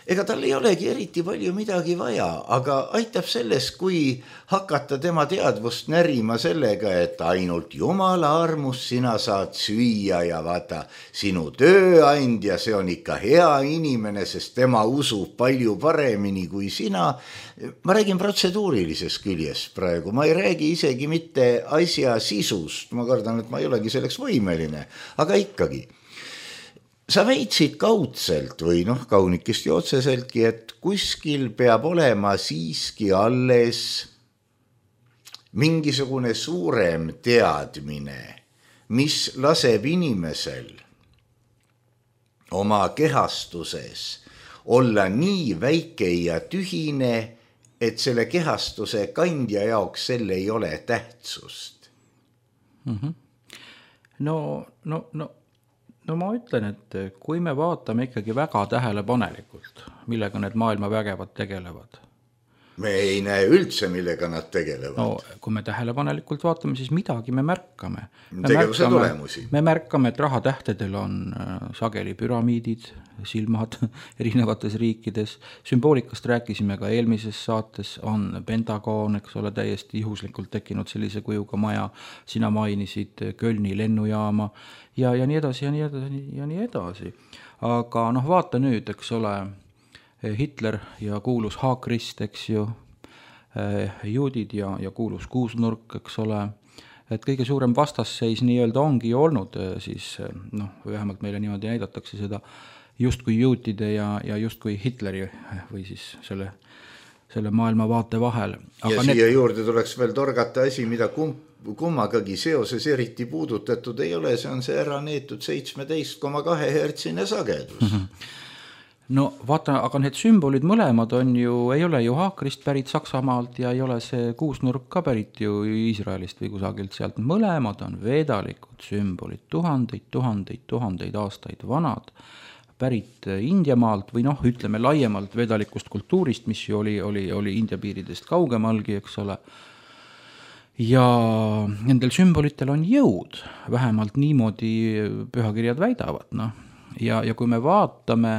ega tal ei olegi eriti palju midagi vaja, aga aitab selles, kui hakata tema teadvust närima sellega, et ainult Jumala armus sina saad süüa ja vaata, sinu tööandja, see on ikka hea inimene, sest tema usub palju paremini kui sina. Ma räägin protseduurilisest küljest praegu, ma ei räägi isegi mitte asja sisust, ma kardan, et ma ei olegi selleks võimeline, aga ikkagi. Sa väitsid kaudselt või noh, kaunikesti otseseltki, et kuskil peab olema siiski alles mingisugune suurem teadmine, mis laseb inimesel oma kehastuses olla nii väike ja tühine, et selle kehastuse kandja jaoks selle ei ole tähtsust. Mm-hmm. No, no, no. No ma ütlen, et kui me vaatame ikkagi väga tähelepanelikult, millega need maailma vägevad tegelevad. Me ei näe üldse, millega nad tegelevad. No, kui me tähelepanelikult vaatame, siis midagi me märkame. Me Tegevuse märkame, tulemusi. Me märkame, et rahatähtedel on sageli püramiidid, silmad erinevates riikides. Sümboolikast rääkisime ka eelmises saates, on Pentagon, eks ole, täiesti juhuslikult tekkinud sellise kujuga maja. Sina mainisid Kölni lennujaama ja, ja nii edasi ja nii edasi ja nii edasi. Aga noh, vaata nüüd, eks ole, Hitler ja kuulus Haakrist, eks ju, juudid ja, ja kuulus kuusnurk, eks ole, et kõige suurem vastasseis nii-öelda ongi ju olnud, siis noh, vähemalt meile niimoodi näidatakse seda justkui juutide ja, ja justkui Hitleri või siis selle, selle maailma vaate vahel. Aga ja need... siia juurde tuleks veel torgata asi, mida kumb kummagagi seoses eriti puudutatud ei ole, see on see ära neetud seitseteist koma kaks hertsine sagedus. Mm-hmm. No vaata, aga need sümbolid mõlemad on ju, ei ole ju Haakrist pärit Saksamaalt ja ei ole see kuusnurk ka pärit ju Iisraelist või kusagilt sealt. Mõlemad on veedalikud sümbolid, tuhandeid, tuhandeid, tuhandeid aastaid vanad, pärit Indiamaalt või noh, ütleme laiemalt vedalikust kultuurist, mis ju oli, oli, oli India piiridest kaugemalgi, eks ole. Ja nendel sümbolitel on jõud, vähemalt niimoodi pühakirjad väidavad. No. Ja, ja kui me vaatame,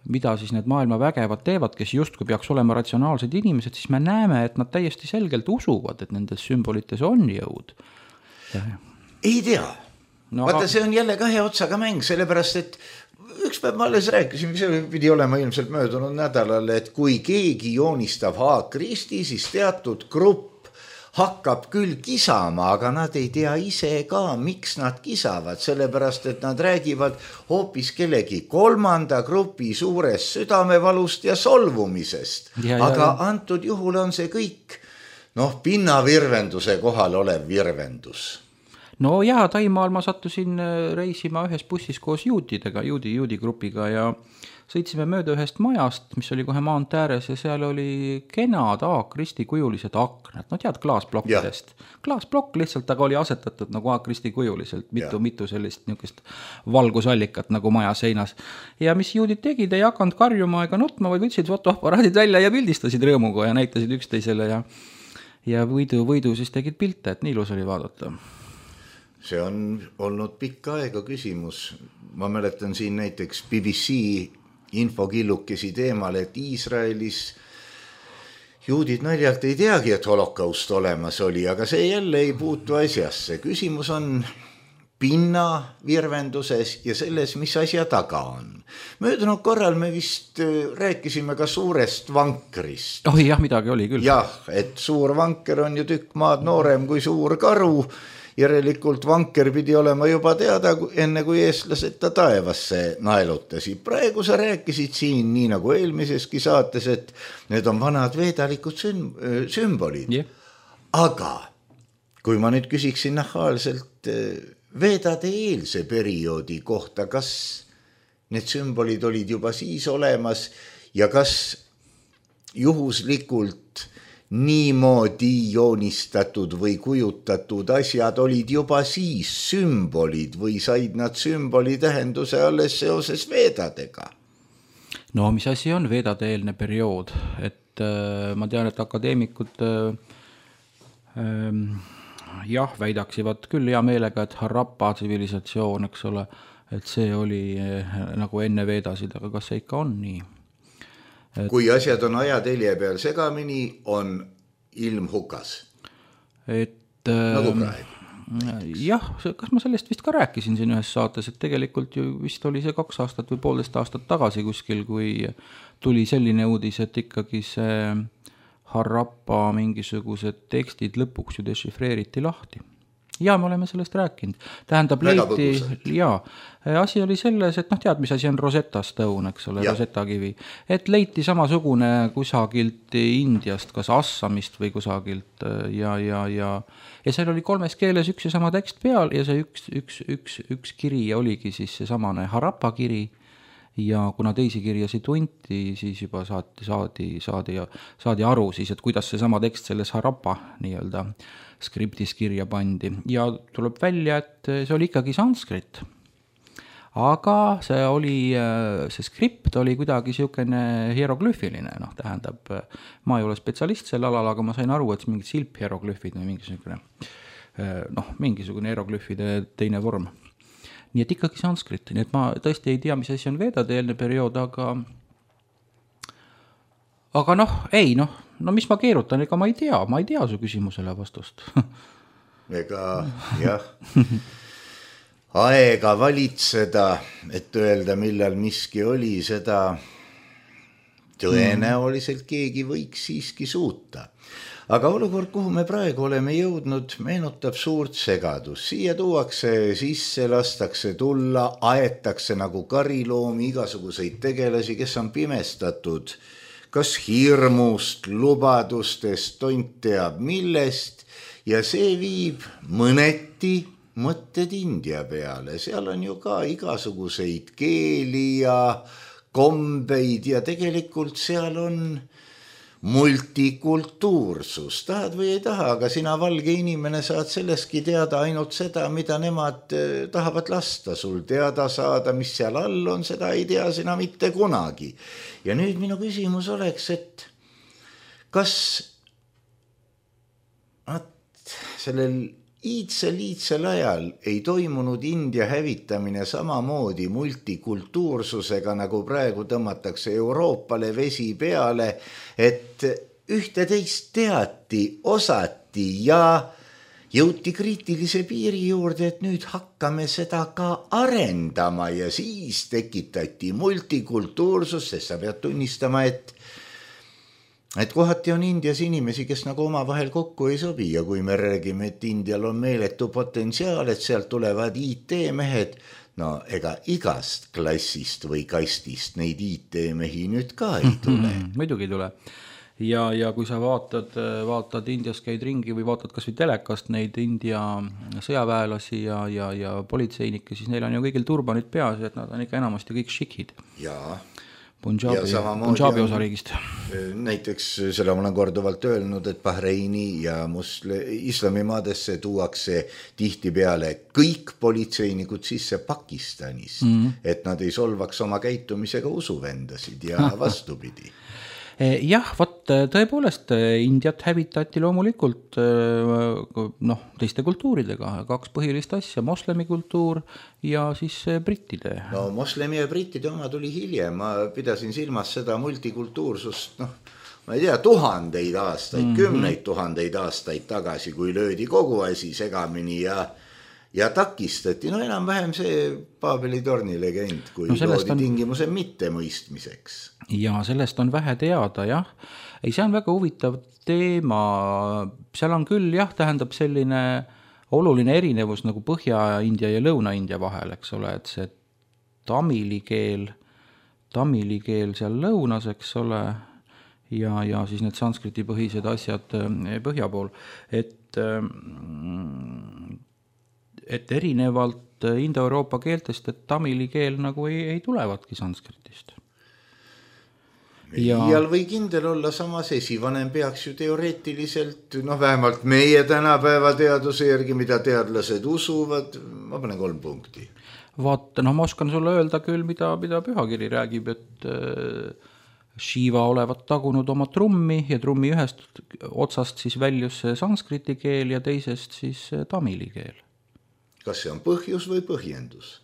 mida siis need maailma vägevad teevad, kes justkui peaks olema ratsionaalsed inimesed, siis me näeme, et nad täiesti selgelt usuvad, et nendes sümbolites on jõud. Ei tea. No, vaata, see on jälle kahe otsaga mäng, sellepärast, et üks päev ma alles rääkisin, see pidi olema ilmselt möödunud nädalal, et kui keegi joonistab Haakristi, siis teatud grupp hakkab küll kisama, aga nad ei tea ise ka, miks nad kisavad, sellepärast, et nad räägivad hoopis kellegi kolmanda grupi suurest südamevalust ja solvumisest. Ja, aga ja, antud juhul on see kõik noh, pinnavirvenduse kohal olev virvendus. No jaa, Taimaal ma sattusin reisima ühes bussis koos juutidega, juudi, juudi grupiga ja sõitsime mööda ühest majast, mis oli kohe maant ääres ja seal oli kenad Haakristi kujulised aknad, no tead, klaasblokkidest. Klaasblokk lihtsalt, aga oli asetatud nagu Haakristi kujuliselt, mitu, mitu sellist niukest valgusallikat nagu maja seinas. Ja mis juudid tegid, ei hakanud karjuma ega nutma, vaid võtsid fotoaparaadid välja ja pildistasid rõõmuga ja näitasid üksteisele ja, ja võidu, võidu siis tegid pilte, et nii ilus oli vaadata. See on olnud pikka aega küsimus. Ma mäletan siin näiteks B B C infokillukesi teemal, et Iisraelis juudid naljalt ei teagi, et holokaust olemas oli, aga see jälle ei puutu asjasse. Küsimus on pinna virvenduses ja selles, mis asja taga on. Möödunud korral me vist rääkisime ka suurest vankrist. Oh jah, midagi oli küll. Jah, et suur vanker on ju tükk maad noorem kui suur karu. Järelikult vanker pidi olema juba teada, enne kui eestlased ta taevasse naelutasid. Praegu sa rääkisid siin, nii nagu eelmiseski saates, et need on vanad veedalikud sümbolid. Yeah. Aga kui ma nüüd küsiksin nahaalselt veedade eelse perioodi kohta, kas need sümbolid olid juba siis olemas ja kas juhuslikult niimoodi joonistatud või kujutatud asjad olid juba siis sümbolid või said nad sümboli tähenduse alles seoses veedadega? No mis asi on veedade eelne periood? Et äh, ma tean, et akadeemikud äh, äh, jah, väidaksivad küll hea meelega, et Harappa tsivilisatsioon, eks ole, et see oli äh, nagu enne veedasid, aga kas see ikka on nii? kui asjad on ajatelje peal segamini, on ilm hukas. Et nagu praegu. Jah, kas ma sellest vist ka rääkisin siin ühes saates, et tegelikult ju vist oli see kaks aastat või poolteist aastat tagasi kuskil, kui tuli selline uudis, et ikkagi see Harappa mingisugused tekstid lõpuks ju dešifreeriti lahti. Ja me oleme sellest rääkinud. Tähendab, leiti, jaa, asi oli selles, et noh, tead, mis asi on Rosetta Stone, eks ole, ja. Rosetta kivi. Et leiti samasugune kusagilt Indiast, kas Assamist või kusagilt ja, ja, ja, ja seal oli kolmes keeles üks ja sama tekst peal ja see üks, üks, üks, üks kiri oligi siis see samane Harappa kiri ja kuna teisi kirjasi tunti, siis juba saadi, saadi, saadi, saadi aru siis, et kuidas see sama tekst selles Harappa nii-öelda skriptis kirja pandi ja tuleb välja, et see oli ikkagi sanskrit. Aga see oli, see skript oli kuidagi siukene hieroglüfiline, noh, tähendab, ma ei ole spetsialist sel alal, aga ma sain aru, et mingid silphieroglüfid või mingisugune, noh, mingisugune hieroglüfide teine vorm. Nii et ikkagi sanskrit, nii et ma tõesti ei tea, mis asi on vedade eelne periood, aga aga noh, ei noh, no mis ma keerutan, ega ma ei tea, ma ei tea su küsimusele vastust. Ega jah, aega valitseda, et öelda, millal miski oli, seda tõenäoliselt keegi võiks siiski suuta. Aga olukord, kuhu me praegu oleme jõudnud, meenutab suurt segadus. Siia tuuakse sisse, lastakse tulla, aetakse nagu kariloomi igasuguseid tegelasi, kes on pimestatud kas hirmust, lubadustest, tont teab millest ja see viib mõneti mõtted India peale. Seal on ju ka igasuguseid keeli ja kombeid ja tegelikult seal on multikultuursus. Tahad või ei taha, aga sina valge inimene saad selleski teada ainult seda, mida nemad tahavad lasta sul teada saada, mis seal all on, seda ei tea sina mitte kunagi. Ja nüüd minu küsimus oleks, et kas sellel iidsel-iidsel ajal ei toimunud India hävitamine samamoodi multikultuursusega, nagu praegu tõmmatakse Euroopale vesi peale, et ühte teist teati, osati ja jõuti kriitilise piiri juurde, et nüüd hakkame seda ka arendama ja siis tekitati multikultuursus, sest sa pead tunnistama, et et kohati on Indias inimesi, kes nagu oma vahel kokku ei sobi ja kui me räägime, et Indial on meeletu potentsiaal, et sealt tulevad I T-mehed, no ega igast klassist või kastist neid I T-mehi nüüd ka ei tule. Muidugi ei tule. Ja, ja kui sa vaatad, vaatad Indias käid ringi või vaatad kas või telekast neid India sõjaväelasi ja, ja, ja politseinikke, siis neil on ju kõigil turbanid peas, et nad on ikka enamasti kõik šikid. Jaa. Punjabi, Punjabi osariigist. Näiteks seda ma olen korduvalt öelnud, et Bahreini ja musle, islamimaadesse tuuakse tihti peale kõik politseinikud sisse Pakistanis, mm-hmm. et nad ei solvaks oma käitumisega usuvendasid ja vastupidi. Jah, võt, tõepoolest Indiat hävitati loomulikult noh, teiste kultuuridega, kaks põhilist asja, moslemi kultuur ja siis brittide. No moslemi ja brittide oma tuli hiljem, ma pidasin silmas seda multikultuursust, noh, ma ei tea, tuhandeid aastaid, mm-hmm. kümneid tuhandeid aastaid tagasi, kui löödi kogu asi segamini ja ja takistati, no enam vähem see Paabeli torni legend, kui no loodi on... tingimuse mitte mõistmiseks. Ja sellest on vähe teada, jah. Ei, see on väga huvitav teema. Seal on küll, jah, tähendab selline oluline erinevus nagu Põhja-India ja Lõuna-India vahel, eks ole, et see tamili keel, tamili keel seal lõunas, eks ole, ja, ja siis need sanskriti põhised asjad põhja pool, et et erinevalt Indo-Euroopa keeltest, et tamili keel nagu ei, ei tulevatki sanskritist. Ja... Iial või kindel olla, samas esivanem peaks ju teoreetiliselt, noh vähemalt meie tänapäeva teaduse järgi, mida teadlased usuvad, ma panen kolm punkti. Vaata, noh ma oskan sulle öelda küll, mida, mida pühakiri räägib, et Shiva olevat tagunud oma trummi ja trummi ühest otsast siis väljus sanskriti keel ja teisest siis tamili keel. Kas see on põhjus või põhjendus?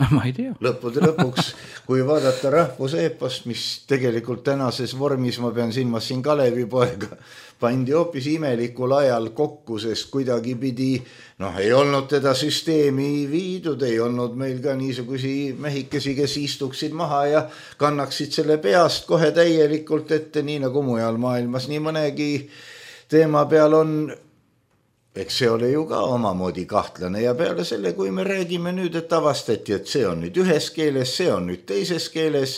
ma ei tea. Lõppude lõpuks, kui vaadata rahvuseepost, mis tegelikult tänases vormis, ma pean silmas siin Kalevipoega, pandi hoopis imelikul ajal kokku, sest kuidagi pidi, noh, ei olnud teda süsteemi viidud, ei olnud meil ka niisugusi mehikesi, kes istuksid maha ja kannaksid selle peast kohe täielikult ette, nii nagu mujal maailmas, nii mõnegi teema peal on. Eks see ole ju ka omamoodi kahtlane ja peale selle, kui me räägime nüüd, et avastati, et see on nüüd ühes keeles, see on nüüd teises keeles.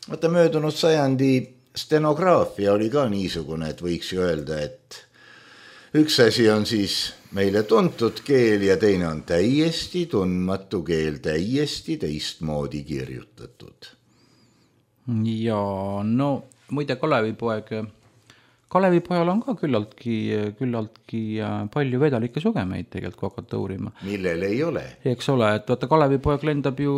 Vaata möödunud sajandi stenograafia oli ka niisugune, et võiks ju öelda, et üks asi on siis meile tuntud keel ja teine on täiesti tundmatu keel, täiesti teistmoodi kirjutatud. Ja no muide Kalevipoeg... Kalevipojal on ka küllaltki, küllaltki palju vedalikke sugemeid tegelikult, kui hakata uurima. Millel ei ole. Eks ole, et vaata Kalevipoeg lendab ju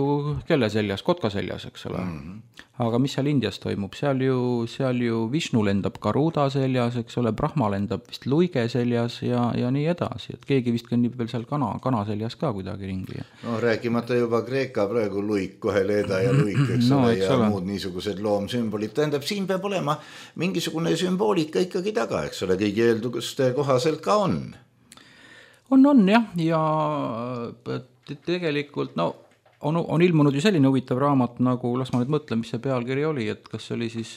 kelle seljas, kotka seljas, eks ole. Mm-hmm. Aga mis seal Indias toimub? Seal ju, seal ju Vishnu lendab Garuda seljas, eks ole, Brahma lendab vist luige seljas ja, ja nii edasi. Et keegi vist kõnnib veel seal kana, kana seljas ka kuidagi ringi. No rääkimata juba Kreeka praegu luik, kohe leeda ja luik, eks no, ole, eks ja ole. Muud niisugused loomsümbolid. Tähendab, siin peab olema mingisugune sümboolika ikkagi taga, eks ole, kõigi eelduste kohaselt ka on. On, on jah, ja tegelikult, no, on, on ilmunud ju selline huvitav raamat, nagu, las ma nüüd mõtlen, mis see pealkiri oli, et kas oli siis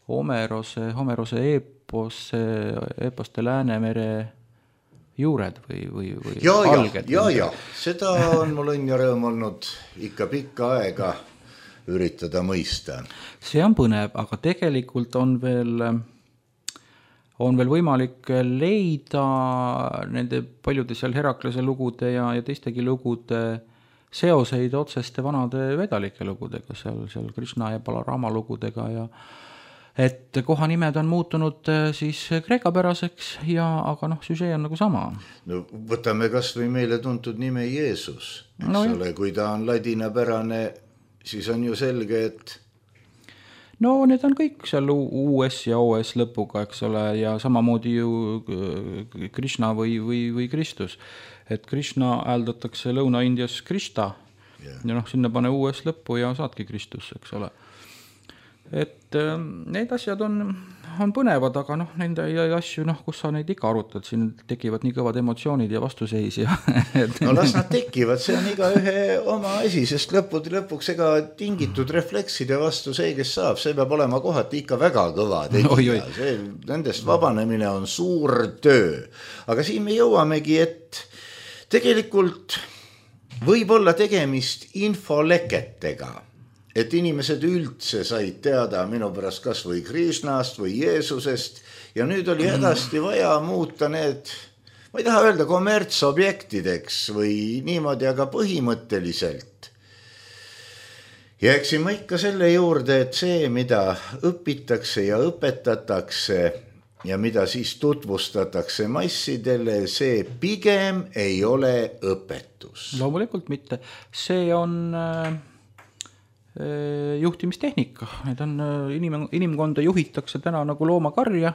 Homerose, Homerose eepose, eeposte Läänemere juured või, või, või ja, alged. Ja, ja, ja, seda on mul õnn ja rõõm olnud ikka pikka aega üritada mõista. See on põnev, aga tegelikult on veel... on veel võimalik leida nende paljude seal Heraklase lugude ja, ja teistegi lugude seoseid otseste vanade vedalike lugudega, seal, seal Krishna ja Balarama lugudega ja et kohanimed on muutunud siis kreekapäraseks ja aga noh, süžee on nagu sama. No võtame kas või meile tuntud nime Jeesus, eks no, ole, kui ta on ladinapärane, siis on ju selge, et no need on kõik seal U S ja O S lõpuga, eks ole, ja samamoodi ju Krishna või, või, või Kristus. Et Krishna hääldatakse Lõuna-Indias Krishta yeah. ja noh, sinna pane U S lõppu ja saadki Kristus, eks ole. Et äh, need asjad on, on põnevad, aga noh, nende asju, noh, kus sa neid ikka arutad, siin tekivad nii kõvad emotsioonid ja vastuseis ja no las nad tekivad, see on iga ühe oma asi, sest lõppude lõpuks ega tingitud reflekside vastu see, kes saab, see peab olema kohati ikka väga kõva tegida, see, nendest vabanemine on suur töö, aga siin me jõuamegi, et tegelikult võib olla tegemist infoleketega, et inimesed üldse said teada minu pärast kas või Krishnast või Jeesusest ja nüüd oli hädasti vaja muuta need, ma ei taha öelda kommertsobjektideks või niimoodi, aga põhimõtteliselt. Ja eksin ma ikka selle juurde, et see, mida õpitakse ja õpetatakse ja mida siis tutvustatakse massidele, see pigem ei ole õpetus. Loomulikult mitte. See on... juhtimistehnika, need on inim, inimkonda juhitakse täna nagu loomakarja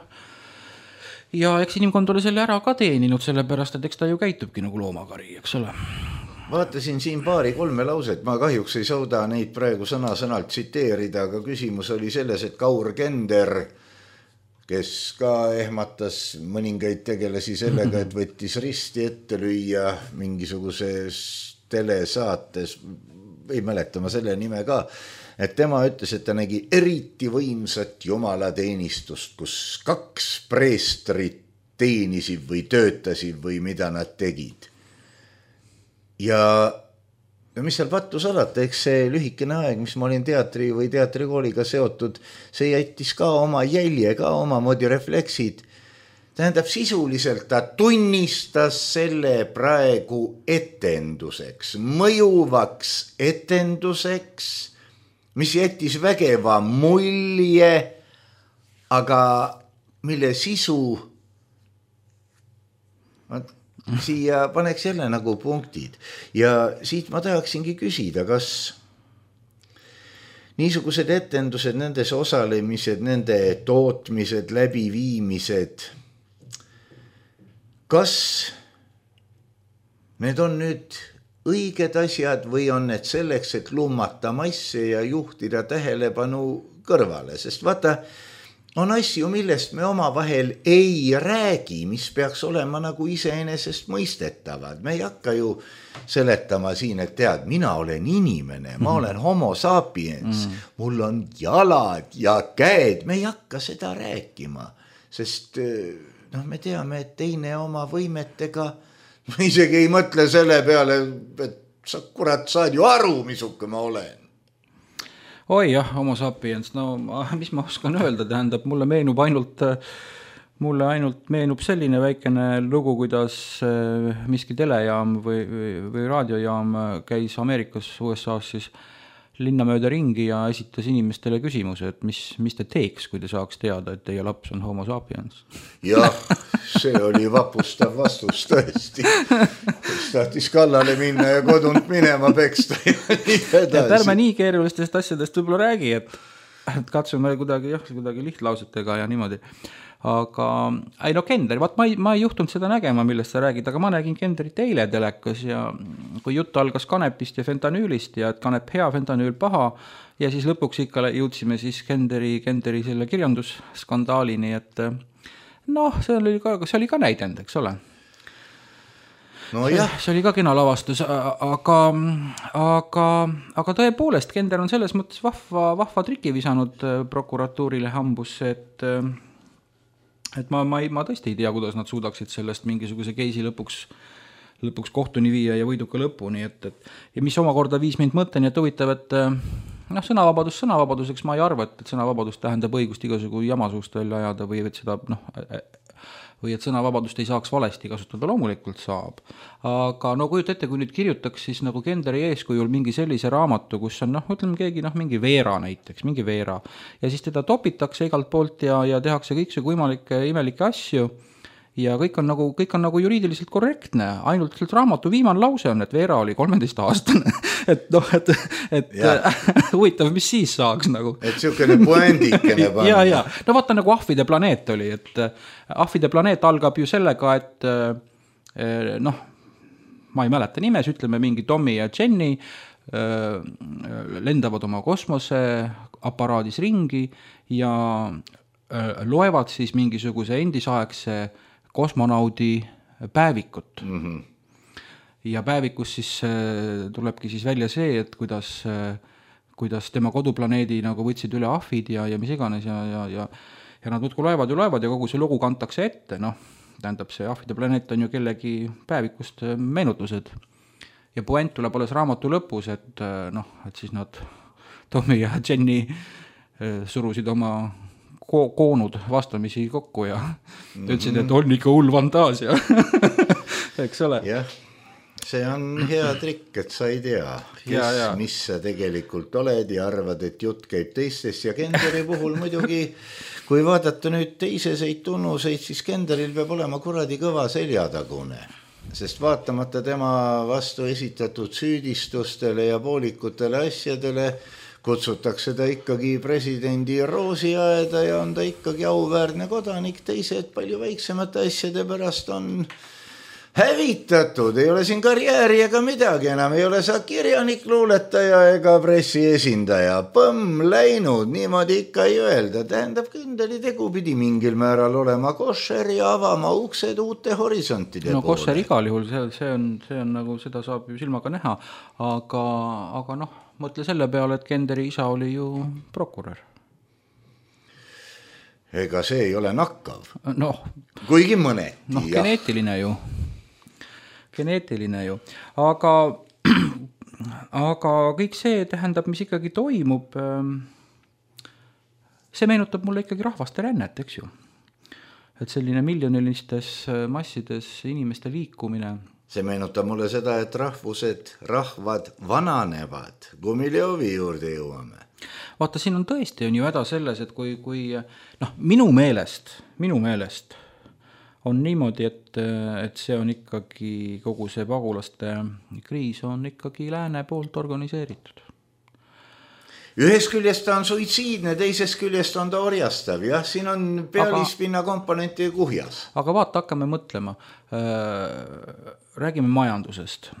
ja eks inimkond ole selle ära ka teeninud, sellepärast, et eks ta ju käitubki nagu loomakari, eks ole. Vaatasin siin paari kolme lauset, ma kahjuks ei sauda neid praegu sõna-sõnalt tsiteerida, aga küsimus oli selles, et Kaur Kender, kes ka ehmatas mõningaid tegelasi sellega, et võttis risti ette lüüa mingisuguses telesaates, ei mäleta ma selle nime ka, et tema ütles, et ta nägi eriti võimsat jumalateenistust, kus kaks preestrit teenisid või töötasid või mida nad tegid. Ja, ja mis seal pattu salata, eks see lühikene aeg, mis ma olin teatri või teatrikooliga seotud, see jättis ka oma jälje, ka omamoodi refleksid. Tähendab, sisuliselt ta tunnistas selle praegu etenduseks, mõjuvaks etenduseks, mis jättis vägeva mulje, aga mille sisu, siia paneks jälle nagu punktid. Ja siit ma tahaksingi küsida, kas niisugused etendused, nendes osalemised, nende tootmised, läbiviimised, kas need on nüüd õiged asjad või on need selleks, et lummata masse ja juhtida tähelepanu kõrvale, sest vaata, on asju, millest me omavahel ei räägi, mis peaks olema nagu iseenesest mõistetavad. Me ei hakka ju seletama siin, et tead, mina olen inimene, ma olen homo sapiens, mul on jalad ja käed, me ei hakka seda rääkima, sest noh, me teame, et teine oma võimetega, ma isegi ei mõtle selle peale, et sa kurat saad ju aru, misuke ma olen. Oi jah, homo sapiens, no mis ma oskan öelda, tähendab, mulle meenub ainult, mulle ainult meenub selline väikene lugu, kuidas miski telejaam või, või, või raadiojaam käis Ameerikas U S A-s siis linna mööda ringi ja esitas inimestele küsimuse, et mis, mis te teeks, kui te saaks teada, et teie laps on homo sapiens. Jah, see oli vapustav vastus tõesti. Kes tahtis kallale minna ja kodunt minema peksta ja nii edasi. Et ärme nii keerulistest asjadest võib-olla räägi, et, et katsume kuidagi, jah, kuidagi lihtlausetega ja niimoodi. Aga, ei no Kender, vaat ma ei, ma ei juhtunud seda nägema, millest sa räägid, aga ma nägin Kenderit eile telekas ja kui jutt algas kanepist ja fentanüülist ja et kanep hea, fentanüül paha ja siis lõpuks ikka jõudsime siis Kenderi, Kenderi selle kirjandussskandaalini, et noh, see oli ka, see oli ka näidend, eks ole. No jah. See, see oli ka kena lavastus, aga, aga, aga tõepoolest Kender on selles mõttes vahva, vahva triki visanud prokuratuurile hambusse, et et ma, ma, ma tõesti ei tea, kuidas nad suudaksid sellest mingisuguse keisi lõpuks, lõpuks kohtuni viia ja võiduka lõpuni, et, et ja mis omakorda viis mind mõtteni, et huvitav, et noh, sõnavabadus sõnavabaduseks ma ei arva, et, et sõnavabadus tähendab õigust igasugu jamasuust välja ajada või et seda noh, või et sõnavabadust ei saaks valesti kasutada, loomulikult saab. Aga no kujuta ette, kui nüüd kirjutaks siis nagu Kenderi eeskujul mingi sellise raamatu, kus on noh, ütleme keegi noh, mingi Veera näiteks, mingi Veera ja siis teda topitakse igalt poolt ja, ja tehakse kõik see võimalikke imelikke asju ja kõik on nagu, kõik on nagu juriidiliselt korrektne, ainult raamatu viimane lause on, et Veera oli kolmeteist aastane, et noh, et, et huvitav, mis siis saaks nagu. Et siukene puendikene panna. ja, ja, no vaata nagu Ahvide planeet oli, et Ahvide planeet algab ju sellega, et noh, ma ei mäleta nimes, ütleme mingi Tommy ja Jenny lendavad oma kosmoseaparaadis ringi ja loevad siis mingisuguse endisaegse kosmonaudi päevikut. Mm-hmm. Ja päevikus siis tulebki siis välja see, et kuidas, kuidas tema koduplaneedi nagu võtsid üle ahvid ja, ja mis iganes ja, ja, ja, ja nad muudkui loevad ja loevad ja kogu see lugu kantakse ette, noh, tähendab see ahvide planeet on ju kellegi päevikust meenutused. Ja puent tuleb alles raamatu lõpus, et noh, et siis nad Tommy ja Jenny surusid oma ko- koonud vastamisi kokku ja mm-hmm. ütlesid, et on ikka hull fantaasia. Eks ole? Jah, see on hea trikk, et sa ei tea, kes, ja, ja. mis sa tegelikult oled ja arvad, et jutt käib teistest ja Kenderi puhul muidugi, kui vaadata nüüd teiseseid tunnuseid, siis Kenderil peab olema kuradi kõva seljatagune, sest vaatamata tema vastu esitatud süüdistustele ja poolikutele asjadele kutsutakse ta ikkagi presidendi roosiaeda ja on ta ikkagi auväärne kodanik, teised palju väiksemate asjade pärast on hävitatud, ei ole siin karjääri ega midagi enam, ei ole sa kirjanik, luuletaja ega pressiesindaja, põmm läinud, niimoodi ikka ei öelda, tähendab Kenderi tegu pidi mingil määral olema košer ja avama uksed uute horisontide no, poole. Košer igal juhul, see, see, on, see on nagu, seda saab ju silmaga näha, aga, aga noh, mõtle selle peale, et Kenderi isa oli ju prokurör. Ega see ei ole nakkav. Noh, kuigi mõneti. Noh, geneetiline ju. Geneetiline ju. Aga, aga kõik see tähendab, mis ikkagi toimub, see meenutab mulle ikkagi rahvaste rännet, eks ju. Et selline miljonilistes massides inimeste liikumine. See meenutab mulle seda, et rahvused, rahvad vananevad, Gumiljovi juurde jõuame. Vaata, siin on tõesti on ju häda selles, et kui, kui noh, minu meelest, minu meelest on niimoodi, et, et see on ikkagi kogu see pagulaste kriis on ikkagi lääne poolt organiseeritud. Ühest küljest ta on suitsiidne, teisest küljest on ta orjastav. Jah, siin on pealispinna komponenti kuhjas. Aga vaata, hakkame mõtlema. Räägime majandusest.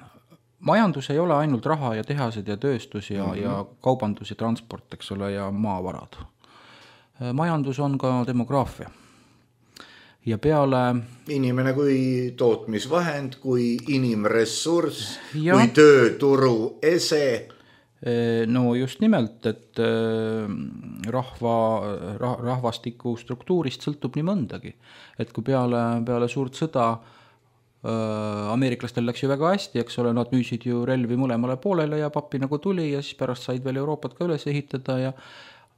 majandus ei ole ainult raha ja tehased ja tööstus ja, mm-hmm. ja kaubandus ja transport, eks ole, ja maavarad. Majandus on ka demograafia. Ja peale... Inimene kui tootmisvahend, kui inimressurss, ja. Kui tööturu ese. No just nimelt, et rahva, rahvastiku struktuurist sõltub nii mõndagi. Et kui peale, peale suurt sõda ameeriklastel läks ju väga hästi, eks ole, nad müüsid ju relvi mõlemale poolele ja pappi nagu tuli ja siis pärast said veel Euroopat ka üles ehitada ja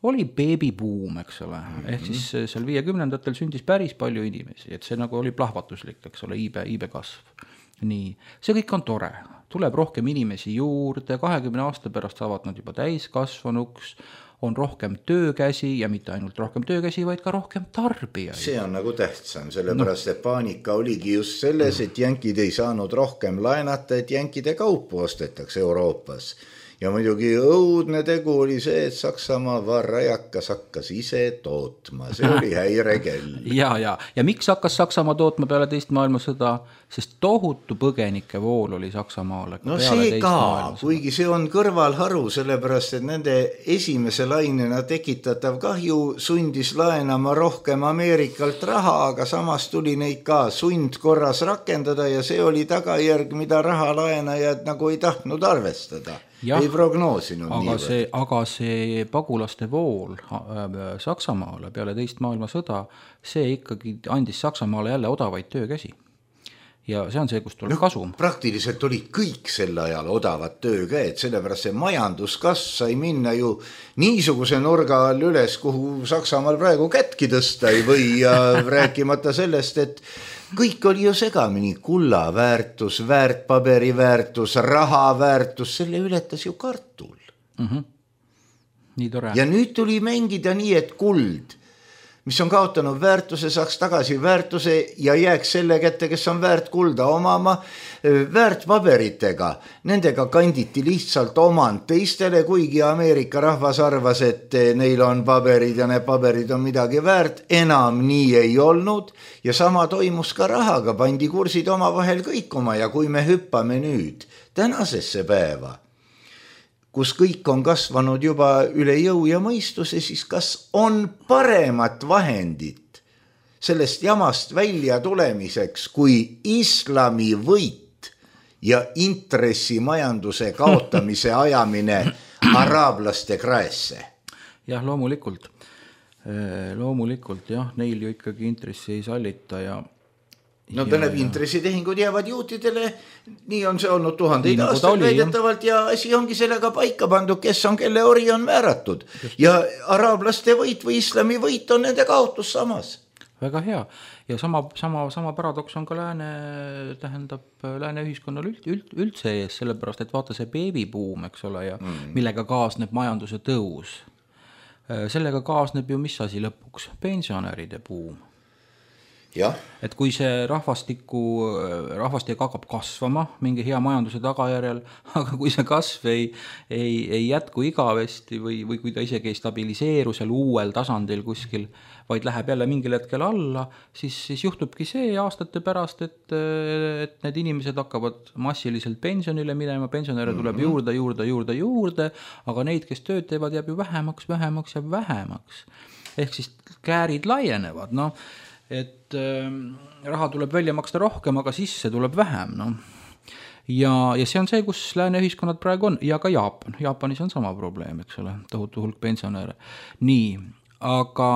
oli beebibuum, eks ole, mm-hmm. ehk siis seal viiekümnendatel sündis päris palju inimesi, et see nagu oli plahvatuslik, eks ole, iibe, iibe kasv. Nii, see kõik on tore, tuleb rohkem inimesi juurde, kahekümne aasta pärast saavad nad juba täiskasvanuks, on rohkem töökäsi ja mitte ainult rohkem töökäsi, vaid ka rohkem tarbijaid. See on nagu tähtsam, sellepärast no. Et paanika oligi just selles, et jänkid ei saanud rohkem laenata, et jänkide kaupu ostetakse Euroopas. Ja muidugi õudne tegu oli see, et Saksamaa varrajakas hakkas ise tootma. See oli häirekell. ja, ja. ja miks hakkas Saksamaa tootma peale teist maailmasõda? Sest tohutu põgenike vool oli Saksamaale. No see ka, kuigi see on kõrvalharu, sellepärast, et nende esimese lainena tekitatav kahju sundis laenama rohkem Ameerikalt raha, aga samas tuli neid ka sundkorras rakendada ja see oli tagajärg, mida rahalaenajad nagu ei tahtnud arvestada. Ja, ei prognoosinud aga nii see, aga see pagulaste vool Saksamaale peale teist maailmasõda, see ikkagi andis Saksamaale jälle odavaid töökäsi. Ja see on see, kus tuleb no, kasum. Praktiliselt olid kõik sel ajal odavad töökäed, sellepärast see majanduskasv sai minna ju niisuguse nurga all üles, kuhu Saksamaal praegu kätki tõsta ei või ja rääkimata sellest, et kõik oli ju segamini, kulla väärtus, väärtpaberi väärtus, raha väärtus, selle ületas ju kartul. Mm-hmm. Nii tore. Ja nüüd tuli mängida nii, et kuld, mis on kaotanud väärtuse, saaks tagasi väärtuse ja jääks selle kätte, kes on väärt kulda omama, väärtpaberitega. Nendega kanditi lihtsalt omand teistele, kuigi Ameerika rahvas arvas, et neil on paberid ja need paberid on midagi väärt. Enam nii ei olnud ja sama toimus ka rahaga, pandi kursid oma vahel kõikuma ja kui me hüppame nüüd tänasesse päeva, kus kõik on kasvanud juba üle jõu ja mõistuse, siis kas on paremat vahendit sellest jamast välja tulemiseks kui islami võit ja intressimajanduse kaotamise ajamine araablaste kraesse? Jah, loomulikult. Loomulikult, jah, neil ju ikkagi intressi ei sallita ja No tähendab, intressitehingud jäävad juutidele, nii on see olnud tuhandeid nagu aastaid väidetavalt ja asi ongi sellega paika pandud, kes on, kelle ori on määratud. Ja araablaste võit või islami võit on nende kaotus samas. Väga hea. Ja sama, sama, sama paradoks on ka lääne, tähendab, lääne ühiskonnal üld, üld, üldse ees, sellepärast, et vaata see beebibuum, eks ole, ja mm. millega kaasneb majanduse tõus. Sellega kaasneb ju mis asi lõpuks? Pensionäride buum. Ja. Et kui see rahvastiku, rahvastik hakkab kasvama mingi hea majanduse tagajärjel, aga kui see kasv ei, ei, ei jätku igavesti või, või kui ta isegi ei stabiliseeru seal uuel tasandil kuskil, vaid läheb jälle mingil hetkel alla, siis, siis juhtubki see aastate pärast, et, et need inimesed hakkavad massiliselt pensionile minema, pensionäre tuleb mm-hmm. juurde, juurde, juurde, juurde, aga neid, kes tööd teevad, jääb ju vähemaks, vähemaks ja vähemaks. Ehk siis käärid laienevad, noh. Et äh, raha tuleb välja maksta rohkem, aga sisse tuleb vähem. No. Ja, ja see on see, kus lääne ühiskonnad praegu on. Ja ka Jaapan. Jaapanis on sama probleem, eks ole, tohutu hulk pensionäre. Nii, aga...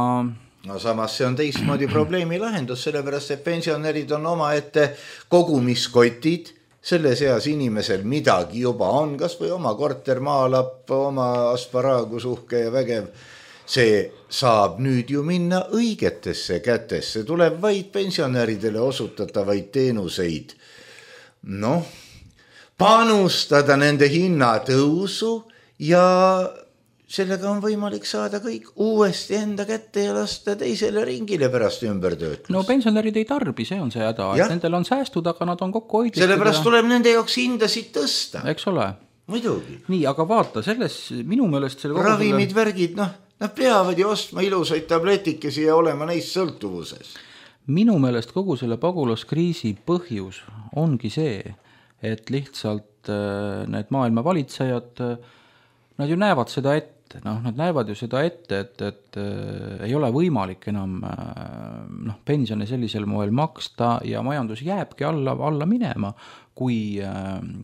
No samas see on teistmoodi probleemi lahendus, sellepärast, et pensionärid on oma ette kogumiskotid, selle seas inimesel midagi juba on, kas või oma kortermaalapp, oma asparaagusuhke ja vägev. See saab nüüd ju minna õigetesse kätesse, tuleb vaid pensionäridele osutatavaid teenuseid. Noh, panustada nende hinnatõusu ja sellega on võimalik saada kõik uuesti enda kätte ja lasta teisele ringile pärast ümbertöötlust. No pensionärid ei tarbi, see on see häda, et nendel on säästud, aga nad on kokku hoidlikud. Sellepärast ja... tuleb nende jaoks hindasid tõsta. Eks ole. Muidugi. Nii, aga vaata, selles minu meelest... Selle ravimid, selle... värgid, noh, nad peavad ju ostma ilusaid tabletikesi ja olema neist sõltuvuses. Minu meelest kogu selle pagulaskriisi põhjus ongi see, et lihtsalt et need maailma valitsejad, nad ju näevad seda ette, noh, nad näevad ju seda ette, et, et ei ole võimalik enam noh, pensione sellisel moel maksta ja majandus jääbki alla, alla minema, kui,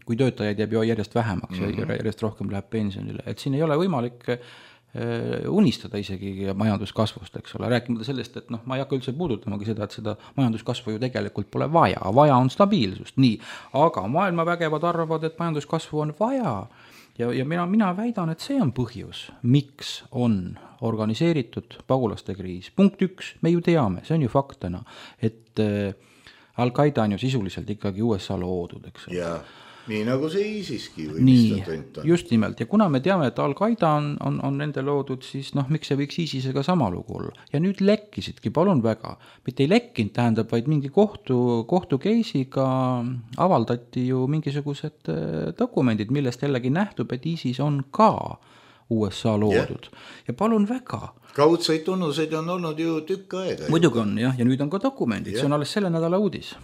kui töötajaid jääb ju järjest vähemaks mm-hmm. ja järjest rohkem läheb pensionile. Et siin ei ole võimalik unistada isegi majanduskasvust, eks ole, rääkimata sellest, et noh, ma ei hakka üldse puudutamagi seda, et seda majanduskasvu ju tegelikult pole vaja, vaja on stabiilsust, nii, aga maailma vägevad arvavad, et majanduskasvu on vaja ja, ja mina, mina väidan, et see on põhjus, miks on organiseeritud pagulaste kriis. Punkt üks, me ju teame, see on ju faktena, et äh, Al-Qaeda on ju sisuliselt ikkagi U S A loodud, eks ole. Jaa. Nii nagu see ISISki või nii, mis ta tõnt on. Just nimelt, ja kuna me teame, et Al-Qaeda on, on, on nende loodud, siis noh, miks see võiks ISISega sama lugu olla. Ja nüüd lekkisidki, palun väga, mitte ei lekkinud, tähendab, vaid mingi kohtu, kohtu keisiga avaldati ju mingisugused dokumendid, millest jällegi nähtub, et ISIS on ka U S A loodud. Yeah. Ja palun väga. Kaudseid tunnuseid on olnud ju tükk aega. Muidugi on, jah, ja nüüd on ka dokumendid, yeah. See on alles selle nädala uudis.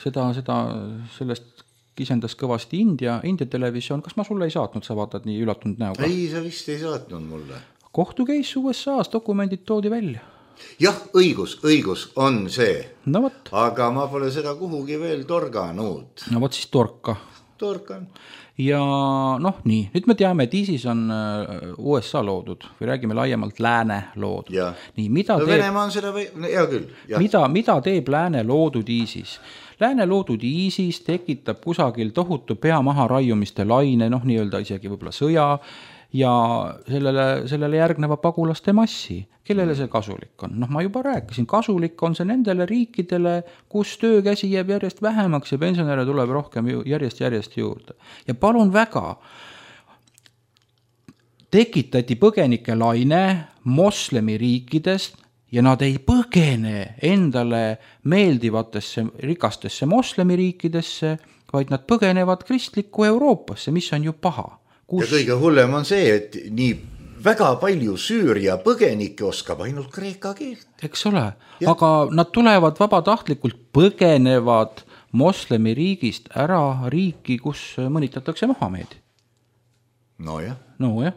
Seda, seda, sellest kisendas kõvasti India, India televisioon. Kas ma sulle ei saatnud, sa vaatad nii ülatunud näoga? Ei, sa vist ei saatnud mulle. Kohtukeis U S A-s, dokumendid toodi välja. Jah, õigus, õigus on see. No võt. Aga ma pole seda kuhugi veel torganud. No võt siis torka. Torkan. Ja noh, nii, nüüd me teame, et ISIS on U S A loodud või räägime laiemalt lääne loodud. Ja. Nii, mida no teeb... Venemaa on seda või... Hea küll. Ja. Mida, mida teeb lääne loodud ISIS? Lääne loodud ISIS tekitab kusagil tohutu pea maha raiumiste laine, noh nii-öelda isegi võib-olla sõja ja sellele, sellele järgneva pagulaste massi. Kellele see kasulik on? Noh, ma juba rääkisin, kasulik on see nendele riikidele, kus töökäsi jääb järjest vähemaks ja pensionäre tuleb rohkem järjest järjest juurde. Ja palun väga, tekitati põgenike laine moslemi riikidest ja nad ei põgene endale meeldivatesse rikastesse moslemiriikidesse, vaid nad põgenevad kristlikku Euroopasse, mis on ju paha. Kus... Ja kõige hullem on see, et nii väga palju Süüria põgenikke oskab ainult kreeka keelt. Eks ole, ja. Aga nad tulevad vabatahtlikult, põgenevad moslemiriigist ära riiki, kus mõnitatakse Mohamedi. No jah. No jah.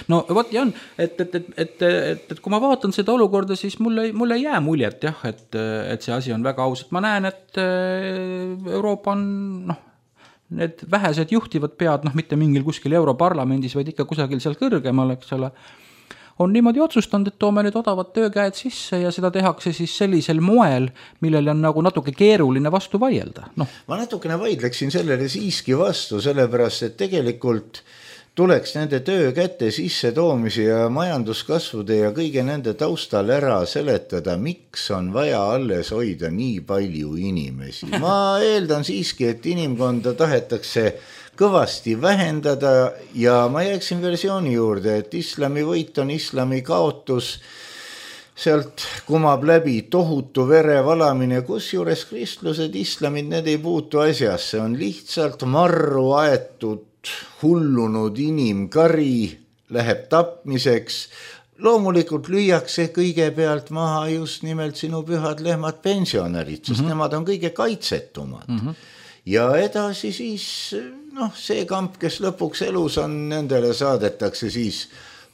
no võt ja on, et, et, et, et, et, et kui ma vaatan seda olukorda, siis mulle, mulle ei jää muljet, jah, et, et see asi on väga aus, et ma näen, et Euroopa on, noh, need vähesed juhtivad pead, noh, mitte mingil kuskil Europarlamendis, vaid ikka kusagil seal kõrgemal, eks ole, on niimoodi otsustanud, et toome nüüd odavad töökäed sisse ja seda tehakse siis sellisel moel, millele on nagu natuke keeruline vastu vaielda. No. Ma natukene vaidleksin sellele siiski vastu, sellepärast, et tegelikult tuleks nende töö kätte sisse toomise ja majanduskasvude ja kõige nende taustal ära seletada, miks on vaja alles hoida nii palju inimesi. Ma eeldan siiski, et inimkonda tahetakse kõvasti vähendada ja ma jääksin versiooni juurde, et islami võit on islami kaotus. Sealt kumab läbi tohutu verevalamine, kusjuures kristlused, islamid, need ei puutu asjasse, on lihtsalt marru aetud hullunud inimkari läheb tapmiseks. Loomulikult lüüakse kõigepealt maha just nimelt sinu pühad lehmad pensionärid, sest mm-hmm. nemad on kõige kaitsetumad. Mm-hmm. Ja edasi siis, noh, see kamp, kes lõpuks elus on, nendele saadetakse siis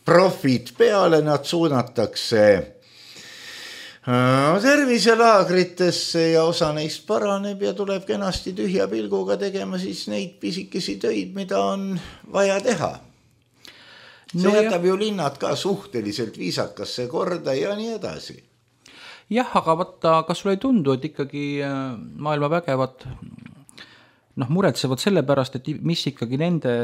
profid peale, nad suunatakse terviselaagritesse ja osa neist paraneb ja tuleb kenasti tühja pilguga tegema siis neid pisikesi töid, mida on vaja teha. See no jätab ja... ju linnad ka suhteliselt viisakasse korda ja nii edasi. Jah, aga vaata, kas sul ei tundu, et ikkagi maailma vägevad noh, muretsevad selle pärast, et mis ikkagi nende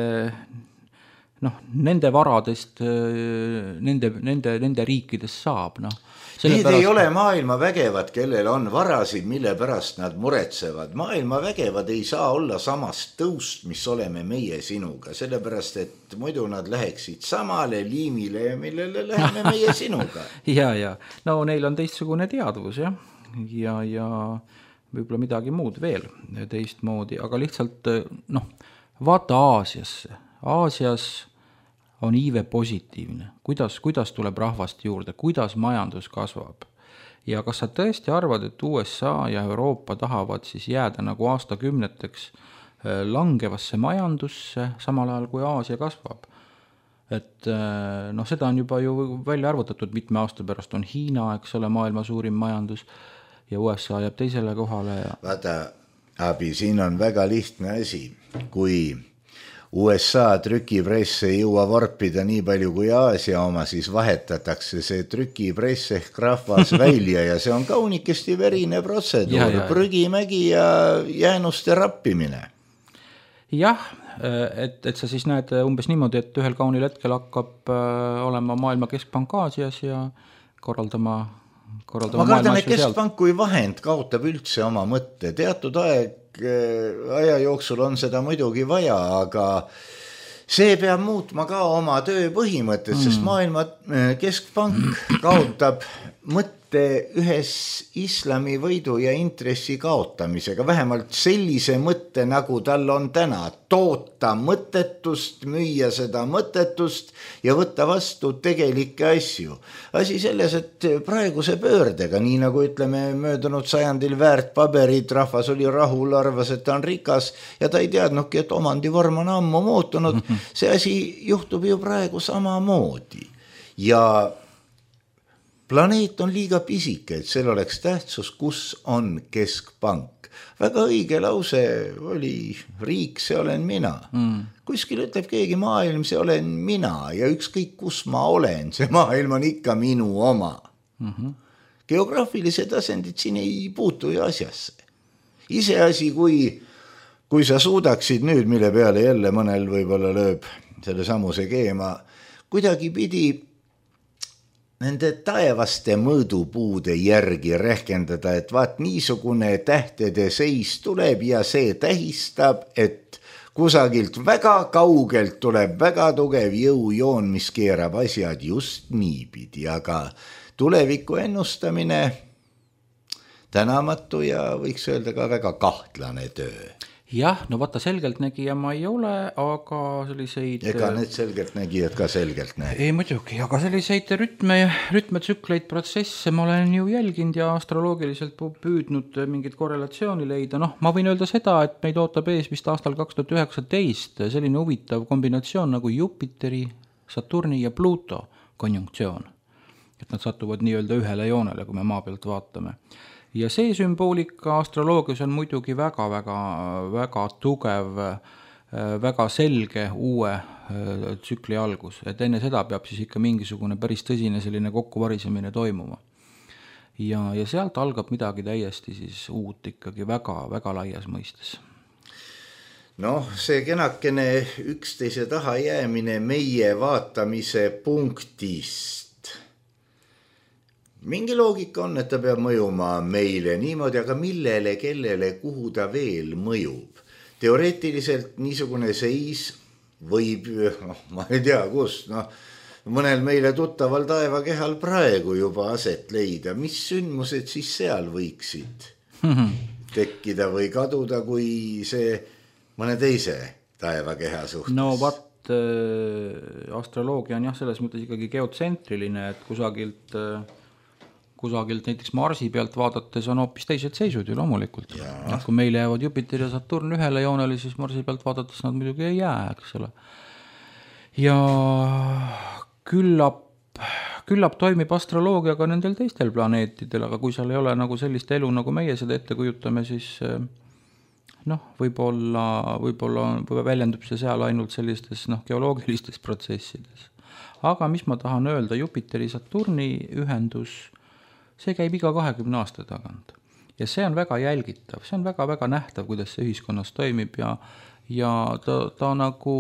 noh, nende varadest nende, nende, nende riikidest saab, noh. Need pärast... ei ole maailma vägevad, kellel on varasid, mille pärast nad muretsevad. Maailma vägevad ei saa olla samast tõust, mis oleme meie sinuga, sellepärast, et muidu nad läheksid samale liimile, millele läheme meie sinuga. ja, ja, no neil on teistsugune teadvus, jah, ja, ja võib-olla midagi muud veel teistmoodi, aga lihtsalt, noh, vaata Aasiasse. Aasias on iive positiivne, kuidas, kuidas tuleb rahvast juurde, kuidas majandus kasvab. Ja kas sa tõesti arvad, et U S A ja Euroopa tahavad siis jääda nagu aastakümneteks langevasse majandusse, samal ajal kui Aasia kasvab. Et noh, seda on juba ju välja arvutatud, mitme aasta pärast on Hiina, eks ole, maailma suurim majandus ja U S A jääb teisele kohale. Ja... Vaata, Abi, siin on väga lihtne asi, kui U S A trükipress ei jõua vorpida nii palju kui Aasia oma, siis vahetatakse see trükipress ehk rahvas välja ja see on kaunikesti verine protseduur, ja, ja, prügimägi ja jäänuste rappimine. Jah, et, et sa siis näed umbes niimoodi, et ühel kaunil hetkel hakkab olema maailma keskpank Aasias ja korraldama, korraldama ma kardan, et keskpank kui vahend kaotab üldse oma mõtte. Teatud aeg, aja jooksul on seda muidugi vaja, aga see peab muutma ka oma töö põhimõtted, mm. sest maailma keskpank kaotab mõtte ühes islami võidu ja intressi kaotamisega, vähemalt sellise mõtte, nagu tal on täna, toota mõttetust, müüa seda mõttetust ja võtta vastu tegelikke asju. Asi selles, et praeguse pöördega, nii nagu ütleme möödunud sajandil väärt paberid, rahvas oli rahul, arvas, et ta on rikas ja ta ei teadnudki, et omandivorm on ammu muutunud. See asi juhtub ju praegu samamoodi ja planeet on liiga pisike, et sel oleks tähtsus, kus on keskpank. Väga õige lause oli, riik, see olen mina. Mm. Kuskil ütleb keegi maailm, see olen mina ja ükskõik kus ma olen, see maailm on ikka minu oma. Mm-hmm. Geograafilised asendid siin ei puutu ju asjasse. Iseasi, kui, kui sa suudaksid nüüd, mille peale jälle mõnel võib-olla lööb selle samuse keema, kuidagi pidi nende taevaste mõõdupuude järgi rehkendada, et vaat niisugune tähtede seis tuleb ja see tähistab, et kusagilt väga kaugelt tuleb väga tugev jõujoon, mis keerab asjad just niipidi, aga tuleviku ennustamine tänamatu ja võiks öelda ka väga kahtlane töö. Jah, no vaata selgeltnägija ma ei ole, aga selliseid... Ega need selgeltnägijad ka selgelt näe. Ei muidugi, aga selliseid rütme, rütmetsükleid, protsesse ma olen ju jälginud ja astroloogiliselt püüdnud mingit korrelatsiooni leida. Noh, ma võin öelda seda, et meid ootab ees vist aastal kaks tuhat üheksateist selline huvitav kombinatsioon nagu Jupiteri, Saturni ja Pluto konjunktsioon. Et nad satuvad nii-öelda ühele joonele, kui me maa pealt vaatame. Ja see sümboolika astroloogias on muidugi väga, väga, väga tugev, väga selge uue tsükli algus. Et enne seda peab siis ikka mingisugune päris tõsine selline kokkuvarisemine toimuma. Ja, ja sealt algab midagi täiesti siis uut ikkagi väga, väga laias mõistes. Noh, see kenakene üksteise taha jäämine meie vaatamise punktist. Mingi loogika on, et ta peab mõjuma meile niimoodi, aga millele, kellele, kuhu ta veel mõjub. Teoreetiliselt niisugune seis võib, noh, ma ei tea kus, noh, mõnel meile tuttaval taevakehal praegu juba aset leida. Mis sündmused siis seal võiksid tekkida või kaduda, kui see mõne teise taevakeha suhtes? No vaat, äh, astroloogia on jah, selles mõttes ikkagi geotsentriline, et kusagilt... Äh, kusagilt näiteks Marsi pealt vaadates on hoopis teised seisud ju loomulikult. Ja kui meil jäävad Jupiter ja Saturn ühele joonele, siis Marsi pealt vaadates nad muidugi ei jää, eks ole. Ja küllap, küllap toimib astroloogia ka nendel teistel planeetidel, aga kui seal ei ole nagu sellist elu, nagu meie seda ette kujutame, siis noh, võib-olla, võib-olla väljendub see seal ainult sellistes noh, geoloogilistes protsessides. Aga mis ma tahan öelda, Jupiteri Saturni ühendus see käib iga kahekümne aasta tagant. Ja see on väga jälgitav, see on väga-väga nähtav, kuidas see ühiskonnas toimib ja, ja ta, ta nagu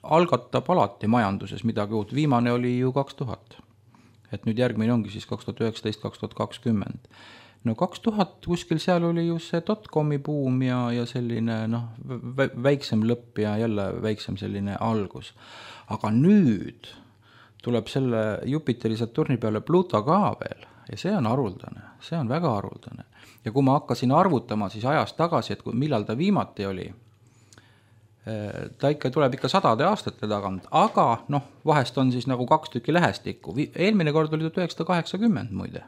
algatab alati majanduses midagi uut. Viimane oli ju kaks tuhat. Et nüüd järgmine ongi siis kaks tuhat üheksateist kaks tuhat kakskümmend. No kaks tuhat kuskil seal oli ju see dotcomi buum ja, ja selline noh, väiksem lõpp ja jälle väiksem selline algus. Aga nüüd tuleb selle Jupiteri Saturni peale Pluto ka veel. Ja see on haruldane, see on väga haruldane. Ja kui ma hakkasin arvutama siis ajast tagasi, et millal ta viimati oli, ta ikka tuleb ikka sadade aastate tagant, aga noh, vahest on siis nagu kaks tükki lähestikku. Eelmine kord oli tuhat üheksasada kaheksakümmend muide.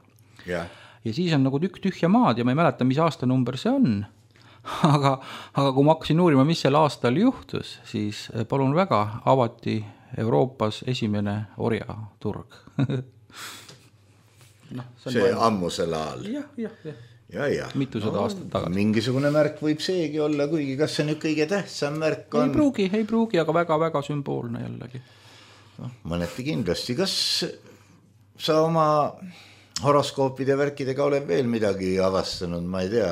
Yeah. Ja siis on nagu tükk tühja maad ja ma ei mäleta, mis aastanumber see on, aga, aga kui ma hakkasin uurima, mis sel aastal juhtus, siis palun väga, avati Euroopas esimene orjaturg. no, see see ammusel ajal. Jah, jah, jah. Ja, ja. Mitusada no, aastat tagasi. Mingisugune märk võib seegi olla, kuigi kas see nüüd kõige tähtsam märk on? Ei pruugi, ei pruugi, aga väga-väga sümboolne jällegi. No, mõneti kindlasti. Kas sa oma horoskoopide värkidega oled veel midagi avastanud, ma ei tea,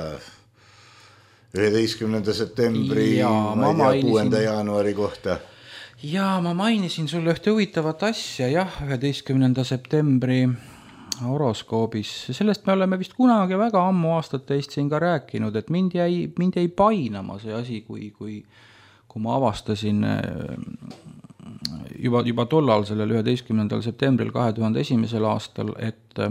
üheteistkümnenda septembri, ja, ma ei tea, kuuenda jaanuari kohta? Jaa, ma mainisin sulle ühte huvitavat asja, jah, üheteistkümnenda septembri horoskoobis. Sellest me oleme vist kunagi väga ammu aastat teist siin ka rääkinud, et mind jäi, mind jäi painama see asi, kui, kui, kui ma avastasin juba, juba tollal sellel üheteistkümnendal septembril kahe tuhande esimesel aastal, et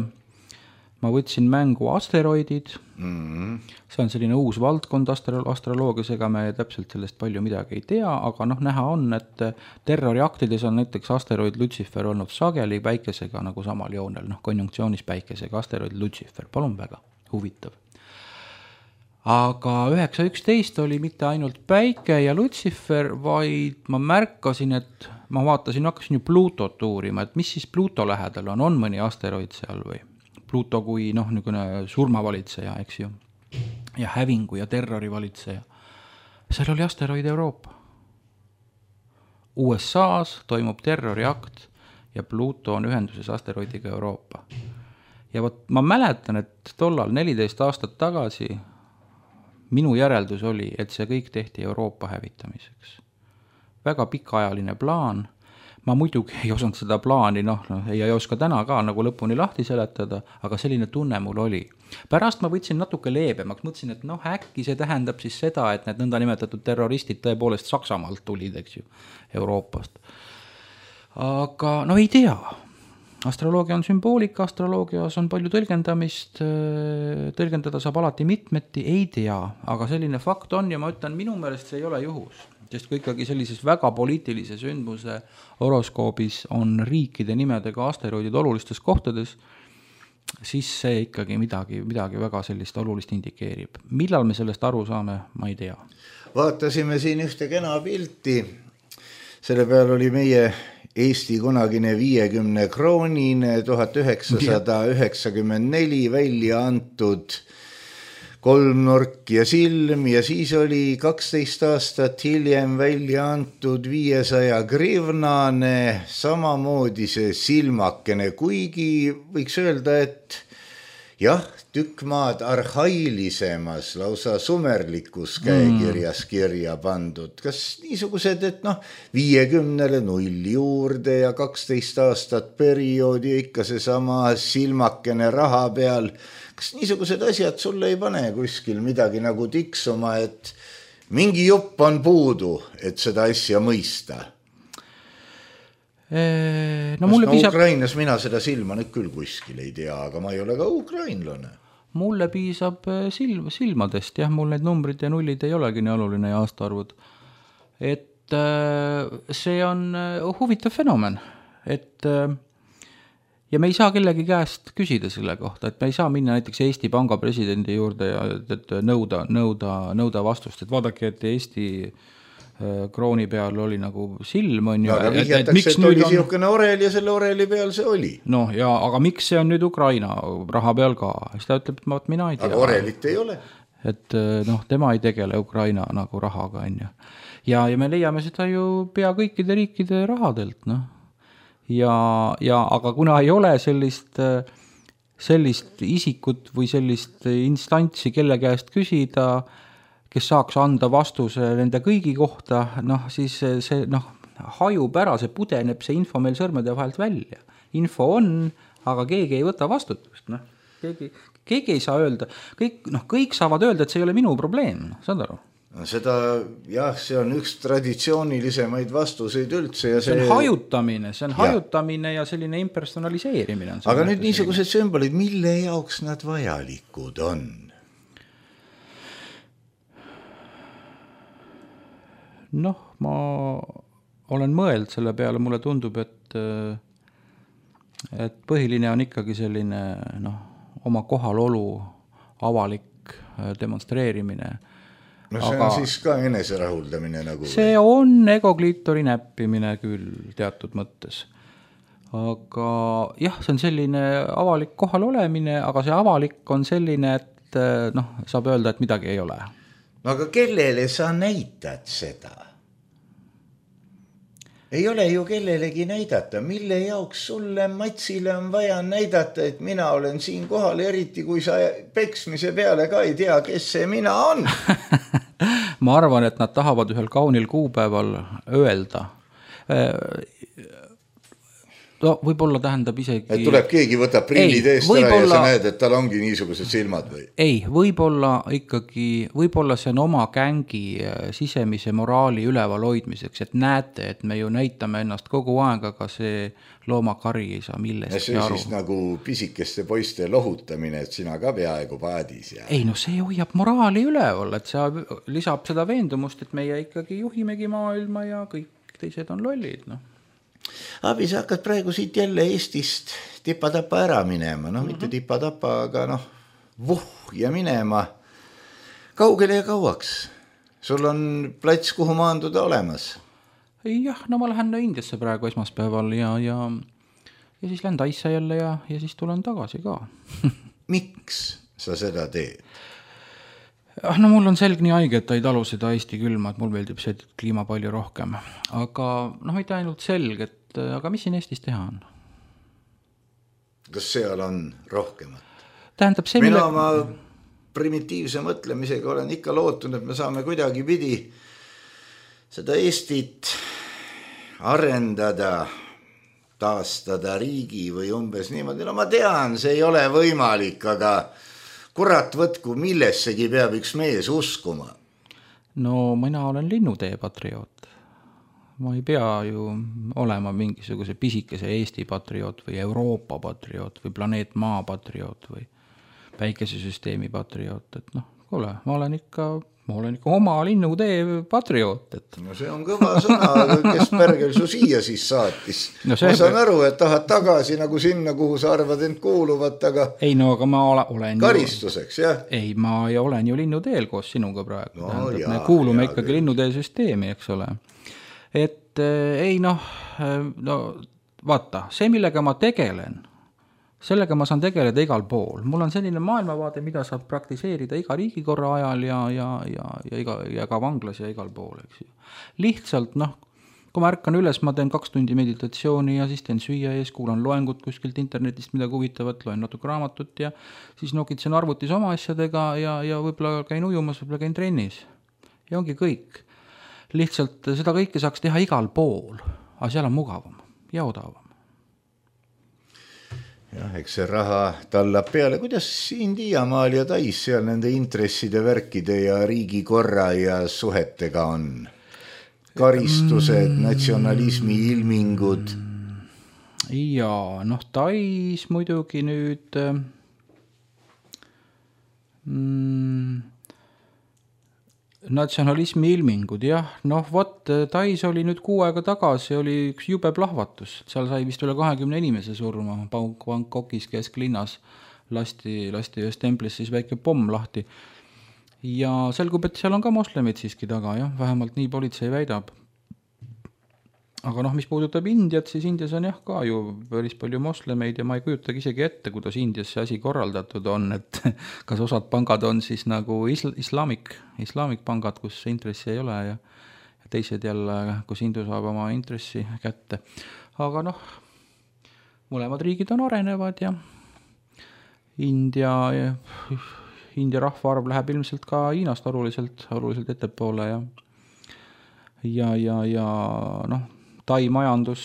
ma võtsin mängu asteroidid. Mm-hmm. See on selline uus valdkond astroloogias, ega me täpselt sellest palju midagi ei tea, aga noh, näha on, et terroriaktides on näiteks asteroid Lucifer olnud sageli päikesega nagu samal joonel, noh, konjunktsioonis päikesega, asteroid Lucifer, palun väga, huvitav. Aga üheksa üksteist oli mitte ainult päike ja Lucifer, vaid ma märkasin, et ma vaatasin, hakkasin ju Pluutot uurima, et mis siis Pluuto lähedal on, on mõni asteroid seal või? Pluuto kui noh, niisugune surmavalitseja, eks ju, ja hävingu ja terrori valitseja. Seal oli asteroid Euroopa. U S A-s toimub terroriakt ja Pluuto on ühenduses asteroidiga Euroopa. Ja võt, ma mäletan, et tollal neliteist aastat tagasi minu järeldus oli, et see kõik tehti Euroopa hävitamiseks. Väga pikaajaline plaan. Ma muidugi ei osanud seda plaani, noh, no, ei, ei oska täna ka nagu lõpuni lahti seletada, aga selline tunne mul oli. Pärast ma võtsin natuke leebemaks, mõtlesin, et noh, äkki see tähendab siis seda, et need nõnda nimetatud terroristid tõepoolest Saksamaalt tulid, eks ju, Euroopast. Aga no ei tea. Astroloogia on sümboolika, astroloogias on palju tõlgendamist, tõlgendada saab alati mitmeti, ei tea, aga selline fakt on ja ma ütlen, minu meelest see ei ole juhus. Sest kui ikkagi sellises väga poliitilise sündmuse horoskoobis on riikide nimedega asteroidid olulistes kohtades, siis see ikkagi midagi, midagi väga sellist olulist indikeerib. Millal me sellest aru saame, ma ei tea. Vaatasime siin ühte kena pilti. Selle peal oli meie Eesti kunagine viiekümne kroonine tuhat üheksasada üheksakümmend neli välja antud kolmnurk ja silm ja siis oli kaksteist aastat hiljem välja antud viiesaja grivnane, samamoodi see silmakene, kuigi võiks öelda, et jah, tükk maad arhailisemas, lausa sumerlikus käekirjas kirja pandud. Kas niisugused, et noh, viiekümnele null juurde ja kaksteist aastat perioodi ikka see sama silmakene raha peal, kas niisugused asjad sulle ei pane kuskil midagi nagu tiksuma, et mingi jupp on puudu, et seda asja mõista? No, mulle no piisab... Ukrainas mina seda silma nüüd küll kuskil ei tea, aga ma ei ole ka ukrainlane. Mulle piisab silm, silmadest, jah, mul need numbrid ja nullid ei olegi nii oluline ja aastaarvud. Et see on huvitav fenomen, et ja me ei saa kellegi käest küsida selle kohta, et me ei saa minna näiteks Eesti Panga presidendi juurde ja et nõuda, nõuda, nõuda vastust, et vaadake, et Eesti krooni peal oli nagu silm on ju. Aga vihjatakse, et, et oli on... siukene orel ja selle oreli peal see oli. No ja, aga miks see on nüüd Ukraina raha peal ka? Siis ta ütleb, et mina ei tea. Aga orelit ei ole. Et noh, tema ei tegele Ukraina nagu rahaga on ju. Ja, ja me leiame seda ju pea kõikide riikide rahadelt, noh. Ja, ja, aga kuna ei ole sellist, sellist isikut või sellist instantsi, kelle käest küsida, kes saaks anda vastuse nende kõigi kohta, noh, siis see noh, hajub ära, see pudeneb see info meil sõrmede vahelt välja. Info on, aga keegi ei võta vastutust. Noh. Keegi, keegi ei saa öelda. Kõik, noh, kõik saavad öelda, et see ei ole minu probleem. Saad aru? No seda, jah, see on üks traditsioonilisemaid vastuseid üldse. Ja see... see on hajutamine, see on ja. hajutamine ja selline impersonaliseerimine. On aga nüüd niisugused sümbolid, mille jaoks nad vajalikud on? Noh, ma olen mõeld selle peale, mulle tundub, et, et põhiline on ikkagi selline noh, oma kohalolu avalik demonstreerimine no see aga on siis ka enese rahuldamine nagu. See on egokliitori näppimine küll teatud mõttes. Aga jah, see on selline avalik kohal olemine, aga see avalik on selline, et noh, saab öelda, et midagi ei ole. No aga kellele sa näitad seda? Ei ole ju kellelegi näidata, mille jaoks sulle Matsile on vaja näidata, et mina olen siin kohal, eriti kui sa peksmise peale ka ei tea, kes see mina on. Ma arvan, et nad tahavad ühel kaunil kuupäeval öelda. No võib-olla tähendab isegi... Et tuleb keegi võtab prillid eest ära ja sa näed, et tal ongi niisugused silmad või? Ei, võib-olla ikkagi, võib-olla see on oma gängi sisemise moraali üleval hoidmiseks, et näete, et me ju näitame ennast kogu aeg, aga see loomakari ei saa millestki aru. See on siis nagu pisikeste poiste lohutamine, et sina ka peaaegu paadis. Ja... Ei, no see hoiab moraali üleval, et see lisab seda veendumust, et meie ikkagi juhimegi maailma ja kõik teised on lollid, noh. Abi, sa hakkad praegu siit jälle Eestist tipa-tapa ära minema, noh, mitte tipa-tapa, aga noh, vuh ja minema. Kaugele ja kauaks? Sul on plats, kuhu maanduda olemas? Jah, no ma lähen Indiasse praegu esmaspäeval ja, ja, ja siis lähen Taisse jälle ja, ja siis tulen tagasi ka. Miks sa seda teed? No mul on selg nii haige, et ta ei talu seda Eesti külma, et mul meeldib see kliima palju rohkem. Aga noh, mitte ainult selg, et aga mis siin Eestis teha on? Kas seal on rohkemat? Tähendab see, Mina mille... oma primitiivse mõtlemisega olen ikka lootunud, et me saame kuidagi pidi seda Eestit arendada, taastada riigi või umbes niimoodi. No ma tean, see ei ole võimalik, aga kurat võtku, millessegi peab üks mees uskuma. No mina olen linnutee patrioot. Ma ei pea ju olema mingisuguse pisikese Eesti patrioot või Euroopa patrioot või planeet Maa patrioot või päikesesüsteemi patrioot. Et noh, kuule, ma olen ikka, ma olen ikka oma linnutee patrioot. Et... No see on kõva sõna, kes pärgel su siia siis saatis. No see... Ma saan aru, et tahad tagasi nagu sinna, kuhu sa arvad end kuuluvat, aga... Ei no, aga ma olen karistuseks, ju... jah? Ei, ma olen ju linnuteel koos sinuga praegu. No, Tähendab, jaa, me kuulume jaa, ikkagi linnutee süsteemi, eks ole. Et ei noh, no vaata, see millega ma tegelen, sellega ma saan tegeleda igal pool. Mul on selline maailmavaade, mida saab praktiseerida iga riigikorra ajal ja, ja, ja, ja, iga, ja ka vanglas ja igal pool. Eks ju. Lihtsalt noh, kui ma ärkan üles, ma teen kaks tundi meditatsiooni ja siis teen süüa ees, kuulan loengut kuskilt internetist, mida huvitavat, loen natuke raamatut ja siis nokitsen arvutis oma asjadega ja, ja võib-olla käin ujumas, võib-olla käin trennis. Ja ongi kõik. Lihtsalt seda kõike saaks teha igal pool, aga seal on mugavam ja odavam. Jah, eks see raha tallab peale. Kuidas Indiamaal ja Tais seal nende intresside, värkide ja riigikorra ja suhetega on? Karistused, natsionalismi ilmingud? Jaa, noh Tais muidugi nüüd... Mm, natsionalismi ilmingud, jah, noh vot, Tais oli nüüd kuu aega tagasi, oli üks jube plahvatus, seal sai vist üle kahekümne inimese surma, Bangkokis kesklinnas lasti, lasti ühes templis siis väike pomm lahti ja selgub, et seal on ka moslemid siiski taga, jah, vähemalt nii politsei väidab. Aga noh, mis puudutab Indiat, siis Indias on jah ka ju päris palju moslemeid ja ma ei kujutagi isegi ette, kuidas Indias see asi korraldatud on, et kas osad pangad on siis nagu isl- islamik, islamik pangad, kus intressi ei ole ja, ja teised jälle, kus Indu saab oma intressi kätte. Aga noh, mõlemad riigid on arenevad ja India, India rahvaarv läheb ilmselt ka Hiinast oluliselt, oluliselt ettepoole ja ja, ja, ja noh, Tai majandus,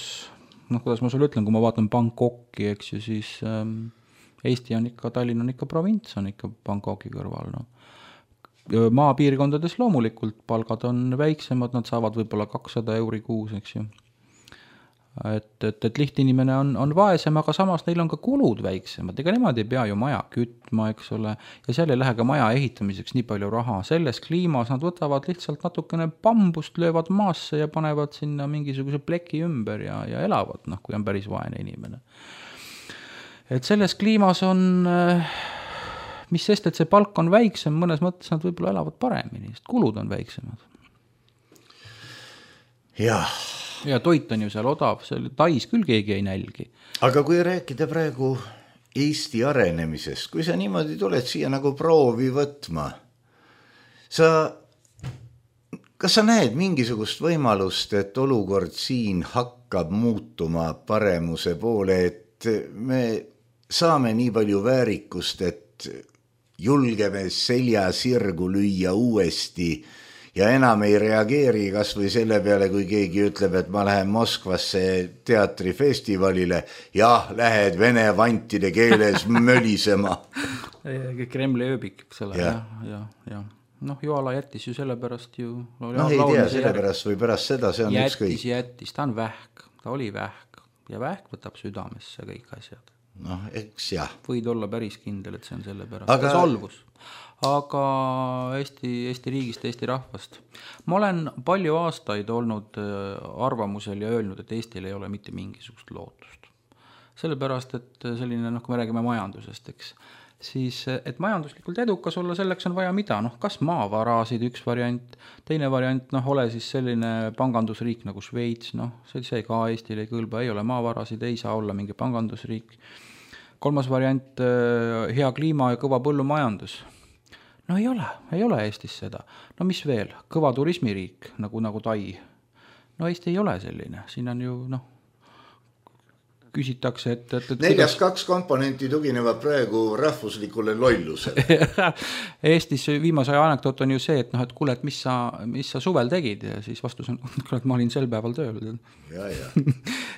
noh, kuidas ma sulle ütlen, kui ma vaatan Bangkoki, eks ju, siis ähm, Eesti on ikka, Tallinn on ikka provints, on ikka Bangkoki kõrval. No. Maapiirkondades loomulikult palgad on väiksemad, nad saavad võib-olla kakssada euri kuus, eks ju. Et, et, et lihtinimene on, on vaesem, aga samas neil on ka kulud väiksemad. Ega nemad ei pea ju maja kütma, eks ole, ja seal ei lähe ka maja ehitamiseks nii palju raha. Selles kliimas nad võtavad lihtsalt natukene bambust, löövad maasse ja panevad sinna mingisuguse pleki ümber ja, ja elavad, noh, kui on päris vaene inimene. Et selles kliimas on äh, mis sest, et see palk on väiksem, mõnes mõttes nad võib-olla elavad paremini, sest kulud on väiksemad. jah. ja toit on ju seal odav, seal Tais küll keegi ei nälgi. aga kui rääkida praegu Eesti arenemisest, kui sa niimoodi tuled siia nagu proovi võtma, sa, kas sa näed mingisugust võimalust, et olukord siin hakkab muutuma paremuse poole, et me saame nii palju väärikust, et julgeme selja sirgu lüüa uuesti ja enam ei reageeri kas või selle peale, kui keegi ütleb, et ma lähen Moskvasse teatrifestivalile, jah, lähed vene vantide keeles mölisema. Kremli ööbik, eks ole, ja, ja, ja. Noh, Joala jättis ju sellepärast ju... noh, ei tea, sellepärast või pärast seda, see on jättis, ükskõik. Jättis, ta on vähk, ta oli vähk ja vähk võtab südamesse kõik asjad. Noh, eks jah. Võid olla päris kindel, et see on sellepärast. Aga... ta solvus. Aga Eesti, Eesti riigist, Eesti rahvast. Ma olen palju aastaid olnud arvamusel ja öelnud, et Eestil ei ole mitte mingisugust lootust. Sellepärast, et selline, noh, kui me räägime majandusest, eks, siis, et majanduslikult edukas olla, selleks on vaja mida, noh, kas maavarasid üks variant, teine variant, noh, ole siis selline pangandusriik nagu Šveits, noh, see, see ka Eestil ei kõlba, ei ole maavarasid, ei saa olla mingi pangandusriik. Kolmas variant, hea kliima ja kõva põllumajandus. No ei ole, ei ole Eestis seda. No mis veel? Kõva turismiriik, nagu, nagu Tai. No Eesti ei ole selline. Siin on ju, noh, küsitakse, et... et, et neljas kuidas... kaks komponenti tuginevad praegu rahvuslikule lollusele. Eestis viimase aja anekdoot on ju see, et, noh, et kuule, et mis sa, mis sa suvel tegid ja siis vastus on, et ma olin sel päeval tööl. Ja, ja.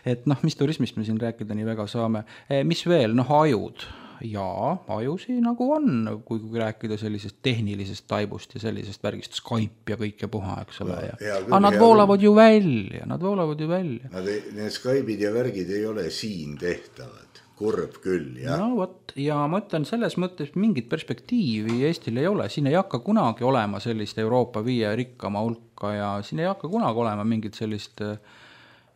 et noh, mis turismist me siin rääkida nii väga saame. Mis veel? Noh, ajud. Jaa, ajusi nagu on, kui, kui rääkida sellisest tehnilisest taibust ja sellisest värgist Skype ja kõik ja puha, eks ole. Ja, ja, aga nad voolavad küll. ju välja, nad voolavad ju välja. Nad ei, need Skype'id ja värgid ei ole siin tehtavad, kurb küll, jah. No võt, ja ma ütlen selles mõttes mingit perspektiivi Eestil ei ole, siin ei hakka kunagi olema sellist Euroopa viie rikkama hulka ja siin ei hakka kunagi olema mingit sellist,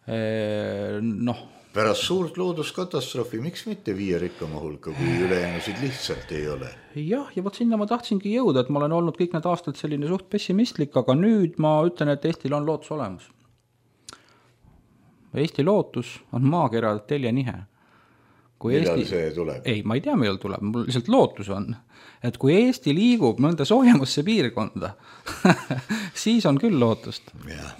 eh, noh, pärast suurt looduskatastroofi, miks mitte viie rikkama hulka, kui ülejäänusid lihtsalt ei ole? Jah, ja vot sinna ma tahtsingi jõuda, et ma olen olnud kõik need aastad selline suht pessimistlik, aga nüüd ma ütlen, et Eestil on lootus olemas. Eesti lootus on maakera teljenihe. Kui millal Eesti... see tuleb? Ei, ma ei tea, millal tuleb, mul lihtsalt lootus on, et kui Eesti liigub mõnda soojemasse piirkonda, siis on küll lootust. Ja.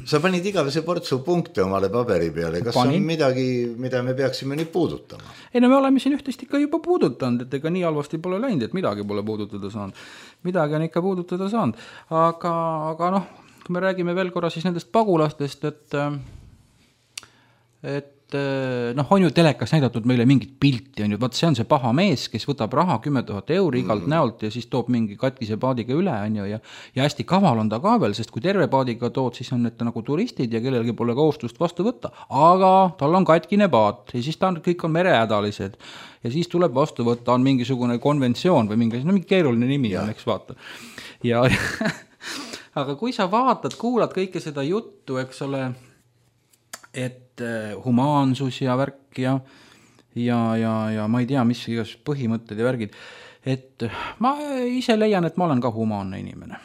Sa panid igavese portsu punkte omale paberi peale, kas Panin. on midagi, mida me peaksime nüüd puudutama? Ei, no me oleme siin ühtest ikka juba puudutanud, et ega nii halvasti pole läinud, et midagi pole puudutada saanud. Midagi on ikka puudutada saanud, aga, aga noh, kui me räägime veel korra siis nendest pagulastest, et et noh, on ju telekas näidatud meile mingit pilti, on ju, vaat see on see paha mees, kes võtab raha kümme tuhat euri igalt mm. näolt ja siis toob mingi katkise paadiga üle, on ju, ja, ja hästi kaval on ta ka veel, sest kui terve paadiga tood, siis on need nagu turistid ja kellelgi pole kohustust vastu võtta, aga tal on katkine paat ja siis ta on, kõik on merehädalised ja siis tuleb vastu võtta, on mingisugune konventsioon või mingi, no mingi keeruline nimi ja. on, eks vaata. Ja aga kui sa vaatad, kuulad kõike seda juttu, eks ole, et humaansus ja värk ja, ja, ja, ja ma ei tea, mis igas põhimõtted ja värgid, et ma ise leian, et ma olen ka humaanne inimene.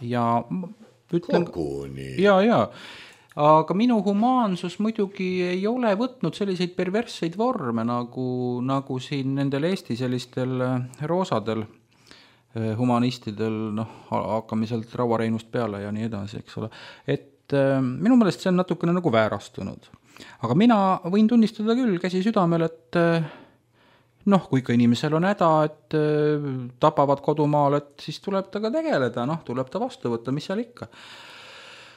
Ja ütlen, ja, ja, aga minu humaansus muidugi ei ole võtnud selliseid perversseid vorme, nagu, nagu siin nendel Eesti sellistel roosadel humanistidel, noh, hakkame sealt rauareinust peale ja nii edasi, eks ole, et minu meelest see on natukene nagu väärastunud. Aga mina võin tunnistada küll käsi südamel, et noh, kui ikka inimesel on häda, et tapavad kodumaal, et siis tuleb ta ka tegeleda, noh, tuleb ta vastu võtta, mis seal ikka.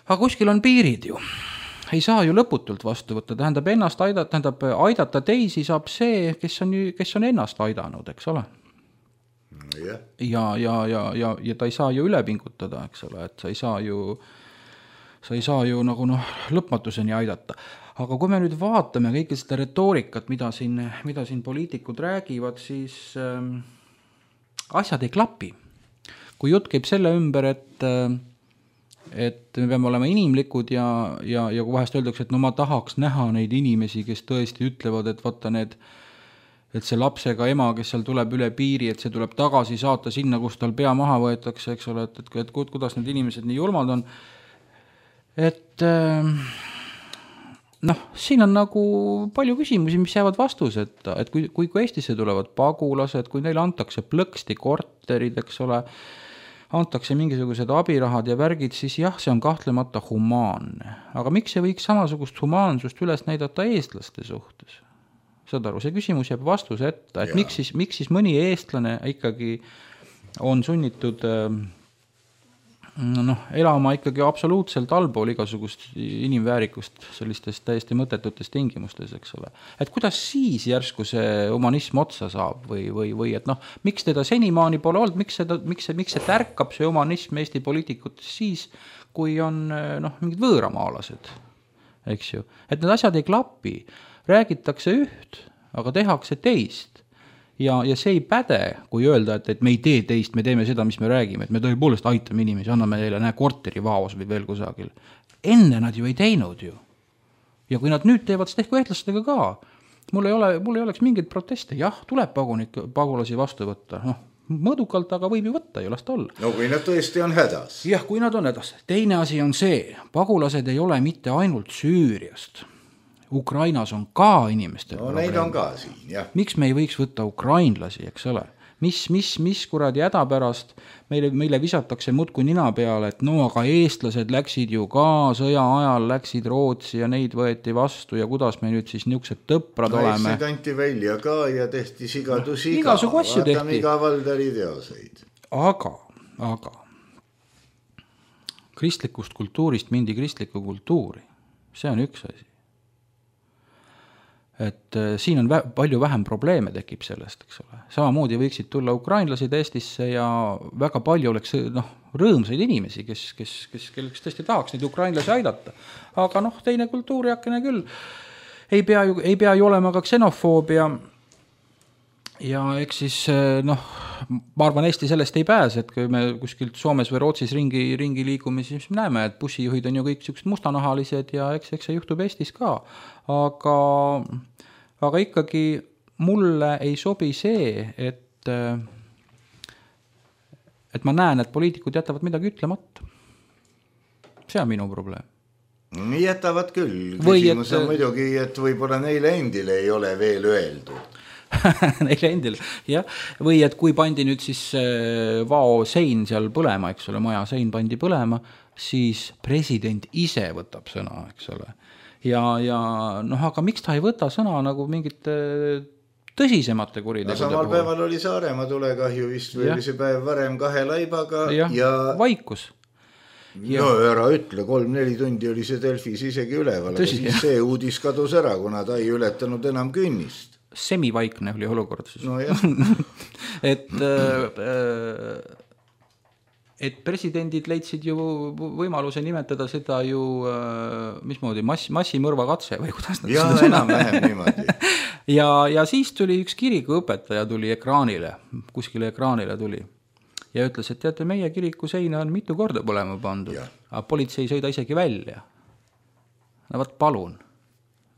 Aga kuskil on piirid ju. Ei saa ju lõputult vastu võtta, tähendab ennast aidata, tähendab aidata teisi saab see, kes on, kes on ennast aidanud, eks ole. Ja, ja, ja, ja, ja ta ei saa ju üle pingutada, eks ole, et sa ei saa ju sa ei saa ju nagu noh, lõpmatuseni aidata. Aga kui me nüüd vaatame kõike seda retoorikat, mida siin, mida siin poliitikud räägivad, siis äh, asjad ei klapi. Kui jutt käib selle ümber, et, et me peame olema inimlikud ja, ja, ja kui vahest öeldakse, et no ma tahaks näha neid inimesi, kes tõesti ütlevad, et vaata need et see lapsega ema, kes seal tuleb üle piiri, et see tuleb tagasi saata sinna, kus tal pea maha võetakse, eks ole, et, et, et kuidas need inimesed nii julmad on. Et noh, siin on nagu palju küsimusi, mis jäävad vastuseta, et kui, kui, kui Eestisse tulevad pagulased, kui neile antakse plõksti korterid, eks ole, antakse mingisugused abirahad ja värgid, siis jah, see on kahtlemata humaanne. Aga miks see võiks samasugust humaansust üles näidata eestlaste suhtes? Saad aru, see küsimus jääb vastuse ette, et miks siis, miks siis mõni eestlane ikkagi on sunnitud noh, elama ikkagi absoluutselt allpool igasugust inimväärikust sellistes täiesti mõttetutes tingimustes, eks ole. Et kuidas siis järsku see humanism otsa saab või, või, või et noh, miks teda senimaani pole olnud, miks, seda, miks, see, miks see tärkab see humanism Eesti poliitikutes siis, kui on noh, mingid võõramaalased, eks ju. Et need asjad ei klapi. Räägitakse üht, aga tehakse teist. Ja, ja see ei päde, kui öelda, et, et me ei tee teist, me teeme seda, mis me räägime, et me tõepoolest aitame inimesi, anname neile näe korteri vaos või veel kusagil. Enne nad ju ei teinud ju. Ja kui nad nüüd teevad, siis tehku ehtlastega ka. Mul ei, ole, mul ei oleks mingeid proteste. Jah, tuleb pagunik, pagulasi vastu võtta. Noh, mõõdukalt, aga võib ju võtta ju, lasta olla. No kui nad tõesti on hädas. Jah, kui nad on hädas. Teine asi on see, pagulased ei ole mitte ainult Süüriast. Ukrainas on ka inimestel no neid on ka siin, jah. Miks me ei võiks võtta ukrainlasi, eks ole? Mis, mis, mis kuradi häda pärast meile, meile visatakse mutku nina peale, et no aga eestlased läksid ju ka sõja ajal, läksid Rootsi ja neid võeti vastu ja kuidas me nüüd siis niisugused tõprad no, oleme. Neid anti välja ka ja tehti sigadusi no, ka. Vaatame iga Valdari teoseid. Aga, aga kristlikust kultuurist mindi kristlikku kultuuri. See on üks asi. Et siin on vä- palju vähem probleeme tekib sellest, eks ole. Samamoodi võiksid tulla ukrainlased Eestisse ja väga palju oleks noh, rõõmsaid inimesi, kes, kes, kes, kelleks tõesti tahaks neid ukrainlasi aidata. Aga noh, teine kultuuriakene küll. Ei pea ju, ei pea ju olema ka ksenofoobia. Ja eks siis noh, ma arvan, Eesti sellest ei pääse, et kui me kuskilt Soomes või Rootsis ringi, ringi liigume, siis me näeme, et bussijuhid on ju kõik sellised mustanahalised ja eks, eks see juhtub Eestis ka. Aga, aga ikkagi mulle ei sobi see, et, et ma näen, et poliitikud jätavad midagi ütlemata. See on minu probleem. Jätavad küll. Küsimus on muidugi, et võib-olla neile endile ei ole veel öeldud. Neile endil, jah. Või et kui pandi nüüd siis vao sein seal põlema, eks ole, maja sein pandi põlema, siis president ise võtab sõna, eks ole. Ja, ja noh, aga miks ta ei võta sõna nagu mingite tõsisemate kuritegude no, samal puhul? Päeval oli Saaremaa tulekahju vist või oli see päev varem kahe laibaga ja, ja... vaikus. Ja. No ära ütle, kolm-neli tundi oli see Delfis isegi üleval, aga siis jah. See uudis kadus ära, kuna ta ei ületanud enam künnist. Semivaikne oli olukord siis. No jah. et, et presidendid leidsid ju võimaluse nimetada seda ju, mismoodi, mass, massimõrva katse või kuidas nad ja, seda enam vähem niimoodi. ja, ja siis tuli üks kirikuõpetaja tuli ekraanile, kuskile ekraanile tuli ja ütles, et teate, meie kiriku seina on mitu korda põlema pandud, aga politsei ei sõida isegi välja. No võt palun,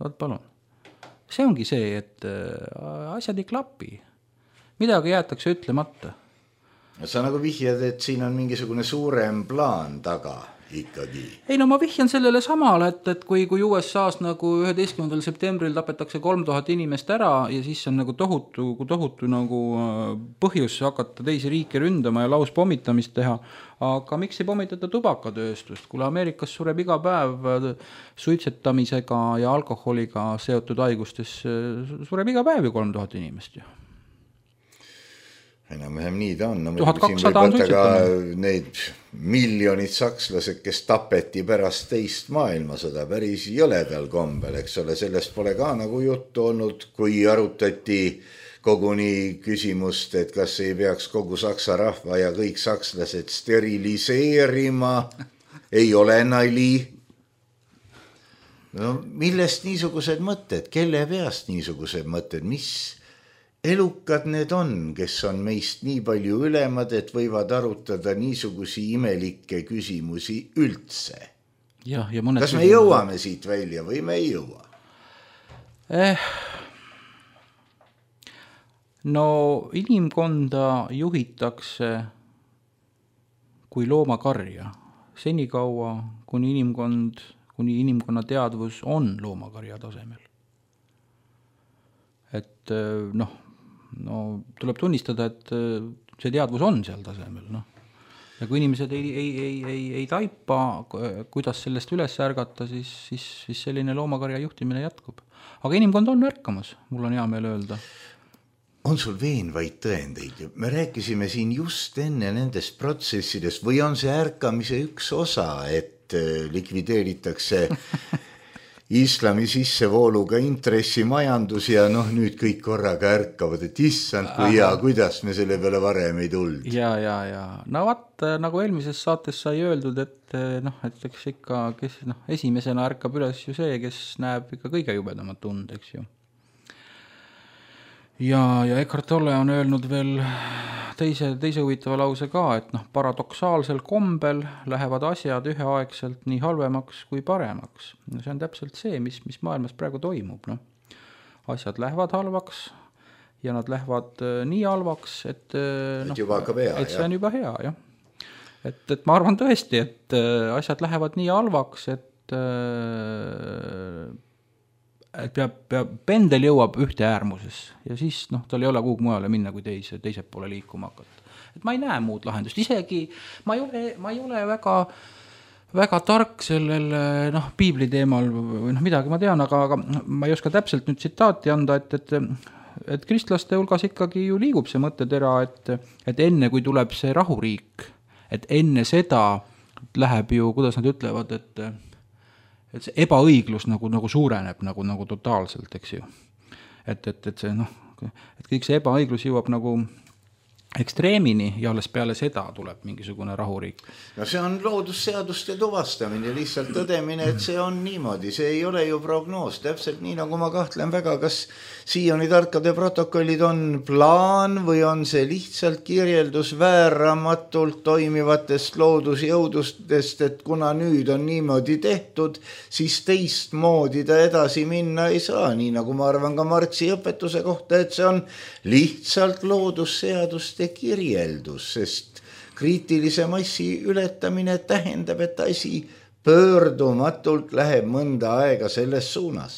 võt palun. See ongi see, et asjad ei klapi. Midagi jäetakse ütlemata. Sa nagu vihjad, et siin on mingisugune suurem plaan taga ikkagi. Ei no ma vihjan sellele samale, et, et kui, kui U S A-s nagu üheteistkümnendal septembril tapetakse kolm tuhat inimest ära ja siis on nagu tohutu, tohutu nagu põhjus hakata teisi riike ründama ja laus pommitamist teha. Aga miks ei pommitata tubakatööstust? Kuule Ameerikas sureb iga päev suitsetamisega ja alkoholiga seotud haigustes sureb iga päev ju kolm tuhat inimest ju. Enam-vähem nii ta on. No, tuhat kakssada on suitsetamine. Need miljonid sakslased, kes tapeti pärast teist maailmasõda päris jõledal kombel, eks ole, sellest pole ka nagu juttu olnud, kui arutati koguni küsimust, et kas ei peaks kogu saksa rahva ja kõik sakslased steriliseerima, ei ole nali. No millest niisugused mõtted, kelle peast niisugused mõtted, mis elukad need on, kes on meist nii palju ülemad, et võivad arutada niisugusi imelikke küsimusi üldse. Ja, ja mõned kas me jõuame siit välja või me ei jõua? Eh, no inimkonda juhitakse kui loomakarja. Senikaua, kuni inimkond, kuni inimkonna teadvus on loomakarja tasemel. Et noh, no tuleb tunnistada, et see teadvus on seal tasemel, noh. Ja kui inimesed ei, ei, ei, ei, ei taipa, kuidas sellest üles ärgata, siis, siis, siis selline loomakarja juhtimine jätkub. Aga inimkond on ärkamas, mul on hea meel öelda. On sul veenvaid tõendeid? Me rääkisime siin just enne nendest protsessidest või on see ärkamise üks osa, et likvideeritakse islami sissevooluga intressimajandus ja noh, nüüd kõik korraga ärkavad, et issand, kui hea, kuidas me selle peale varem ei tuld. Ja, ja, ja. No vaat, nagu eelmises saates sai öeldud, et noh, et eks ikka, kes noh, esimesena ärkab üles ju see, kes näeb ikka kõige jubedamat tund, eks ju. Ja, ja Eckhart Tolle on öelnud veel teise, teise huvitava lause ka, et noh, paradoksaalsel kombel lähevad asjad üheaegselt nii halvemaks kui paremaks. No see on täpselt see, mis, mis maailmas praegu toimub. No. Asjad lähevad halvaks ja nad lähevad nii halvaks, et, et, no, hea, et see on juba hea. Jah. Et, et ma arvan tõesti, et asjad lähevad nii halvaks, et et peab, peab, pendel jõuab ühte äärmuses ja siis noh, tal ei ole kuhugi mujale minna, kui teise, teiselt poole liikuma hakata. Et ma ei näe muud lahendust, isegi ma ei ole, ma ei ole väga, väga tark sellel noh, piibli teemal või noh, midagi ma tean, aga, aga ma ei oska täpselt nüüd tsitaati anda, et, et, et kristlaste hulgas ikkagi ju liigub see mõttetera, et, et enne kui tuleb see rahuriik, et enne seda läheb ju, kuidas nad ütlevad, et et see ebaõiglus nagu, nagu suureneb nagu, nagu totaalselt, eks ju. Et, et, et see noh, et kõik see ebaõiglus jõuab nagu ekstreemini ja alles peale seda tuleb mingisugune rahuriik. No see on loodusseaduste tuvastamine, lihtsalt tõdemine, et see on niimoodi, see ei ole ju prognoos, täpselt nii nagu ma kahtlen väga, kas siiani tarkade protokollid on plaan või on see lihtsalt kirjeldus vääramatult toimivatest loodusjõudustest, et kuna nüüd on niimoodi tehtud, siis teistmoodi ta edasi minna ei saa, nii nagu ma arvan ka Marxi õpetuse kohta, et see on lihtsalt loodusseaduste kirjeldus, sest kriitilise massi ületamine tähendab, et asi pöördumatult läheb mõnda aega selles suunas.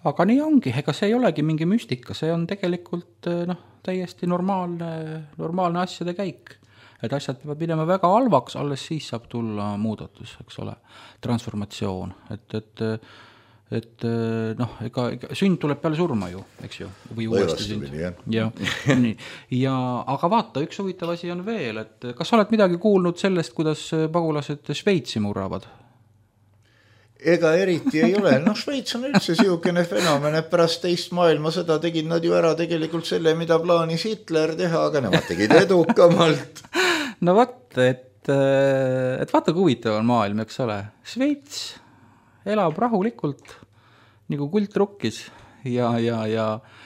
Aga nii ongi, ega see ei olegi mingi müstika, see on tegelikult noh, täiesti normaalne, normaalne asjade käik. Et asjad peavad minema väga halvaks, alles siis saab tulla muudatus, eks ole, transformatsioon, et, et et noh, ega, ega sünd tuleb peale surma ju, eks ju, või uuesti sünd. Ja, nii. Ja, aga vaata, üks huvitav asi on veel, et kas sa oled midagi kuulnud sellest, kuidas pagulased Šveitsi murravad? Ega eriti ei ole. No Šveits on üldse siukene fenomen, et pärast teist maailmasõda tegid nad ju ära tegelikult selle, mida plaanis Hitler teha, aga nemad tegid edukamalt. No vaat, et, et vaata, kui huvitav on maailm, eks ole. Šveits elab rahulikult, nagu kult rukkis ja, ja, ja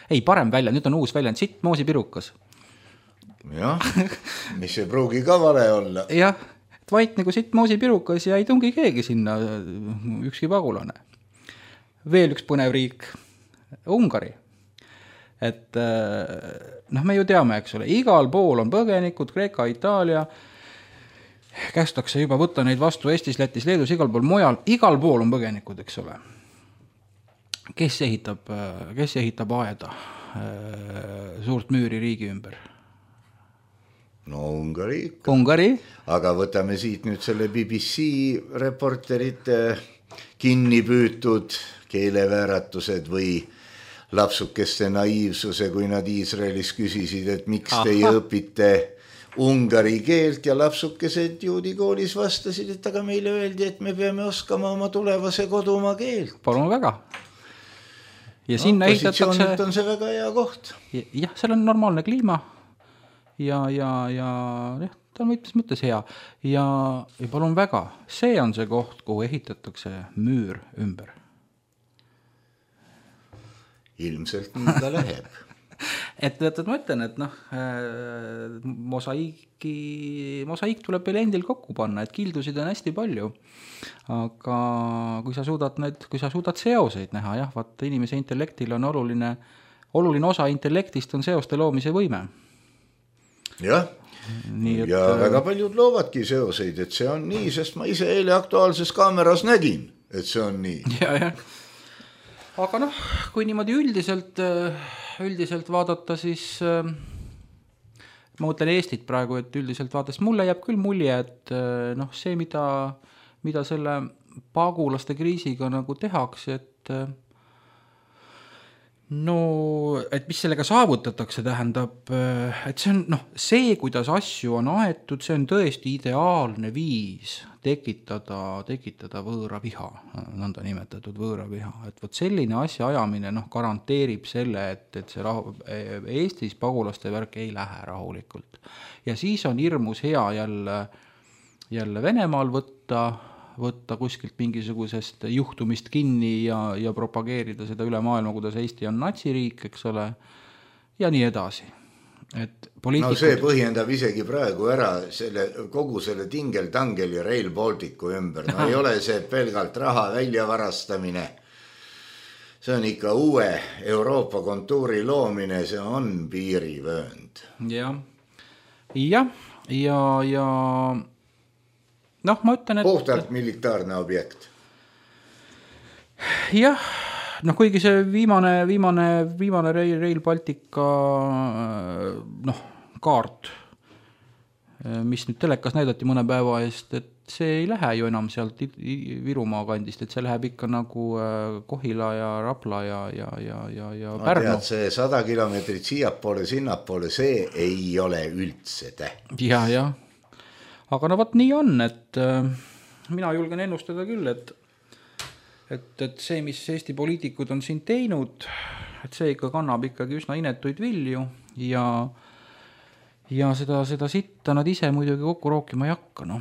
ei, parem välja, nüüd on uus väljend, sitt moosipirukas. Jah, mis ei pruugi ka vale olla. Jah, et vait nagu sitt moosipirukas ja ei tungi keegi sinna, ükski pagulane. Veel üks põnev riik, Ungari. Et noh, me ju teame, eks ole, igal pool on põgenikud, Kreeka, Itaalia, kästakse juba võtta neid vastu Eestis, Lätis, Leedus, igal pool mujal, igal pool on põgenikud, eks ole. Kes ehitab, kes ehitab aeda suurt müüri riigi ümber? No Ungari ikka. Ungari. Aga võtame siit nüüd selle B B C reporterite kinni püütud keelevääratused või lapsukeste naiivsuse, kui nad Iisraelis küsisid, et miks Aha. teie õpite ungari keelt ja lapsukesed juudikoolis vastasid, et aga meile öeldi, et me peame oskama oma tulevase kodumaa keelt. Palun väga. Ja sinna no, ehitatakse... on see väga hea koht. Jah, seal on normaalne kliima ja, ja, ja jah, ta on mitmes mõttes hea. Ja, ja palun väga, see on see koht, kuhu ehitatakse müür ümber. Ilmselt nii ta läheb. Et, et, et ma ütlen, et noh, mosaiiki, mosaiik tuleb veel endil kokku panna, et kildusid on hästi palju. Aga kui sa suudad, need, kui sa suudad seoseid näha, jah, vaat inimese intellektil on oluline, oluline osa intellektist on seoste loomise võime. jah, Nii, et, ja väga paljud loovadki seoseid, et see on nii, sest ma ise eile Aktuaalses Kaameras nägin, et see on nii. Ja, ja. Aga noh, kui niimoodi üldiselt, üldiselt vaadata, siis ma mõtlen Eestit praegu, et üldiselt vaadates mulle jääb küll mulje, et noh, see, mida, mida selle pagulaste kriisiga nagu tehakse, et no, et mis sellega saavutatakse, tähendab, et see on, noh, see, kuidas asju on aetud, see on tõesti ideaalne viis tekitada, tekitada võõra viha, nõnda nimetatud võõra viha. Et võt selline asja ajamine, noh, garanteerib selle, et, et see rahu, Eestis pagulaste värk ei lähe rahulikult. Ja siis on hirmus hea jälle, jälle Venemaal võtta, võtta kuskilt mingisugusest juhtumist kinni ja, ja propageerida seda üle maailma, kuidas Eesti on natsiriik, eks ole, ja nii edasi. Et poliitikud... No see põhjendab isegi praegu ära selle, kogu selle tingeltangeli Rail Balticu ümber. No ei ole see pelgalt raha väljavarastamine. See on ikka uue Euroopa kontuuri loomine, see on piirivöönd. Ja, ja, ja, ja noh, ma ütlen, et... Puhtalt militaarne objekt. Jah, noh, kuigi see viimane, viimane, viimane Rail, Rail Baltica noh, kaart, mis nüüd telekas näidati mõne päeva eest, et see ei lähe ju enam sealt Virumaa kandist, et see läheb ikka nagu Kohila ja Rapla ja, ja, ja, ja, ja no, Pärnu. Tead, see sada kilomeetrit siiapoole, sinnapoole, see ei ole üldse täht. Ja, ja. Aga no võt nii on, et äh, mina julgen ennustada küll, et, et, et see, mis Eesti poliitikud on siin teinud, et see ikka kannab ikkagi üsna inetuid vilju ja, ja seda, seda sitta nad ise muidugi kokku rookima ei hakka. No.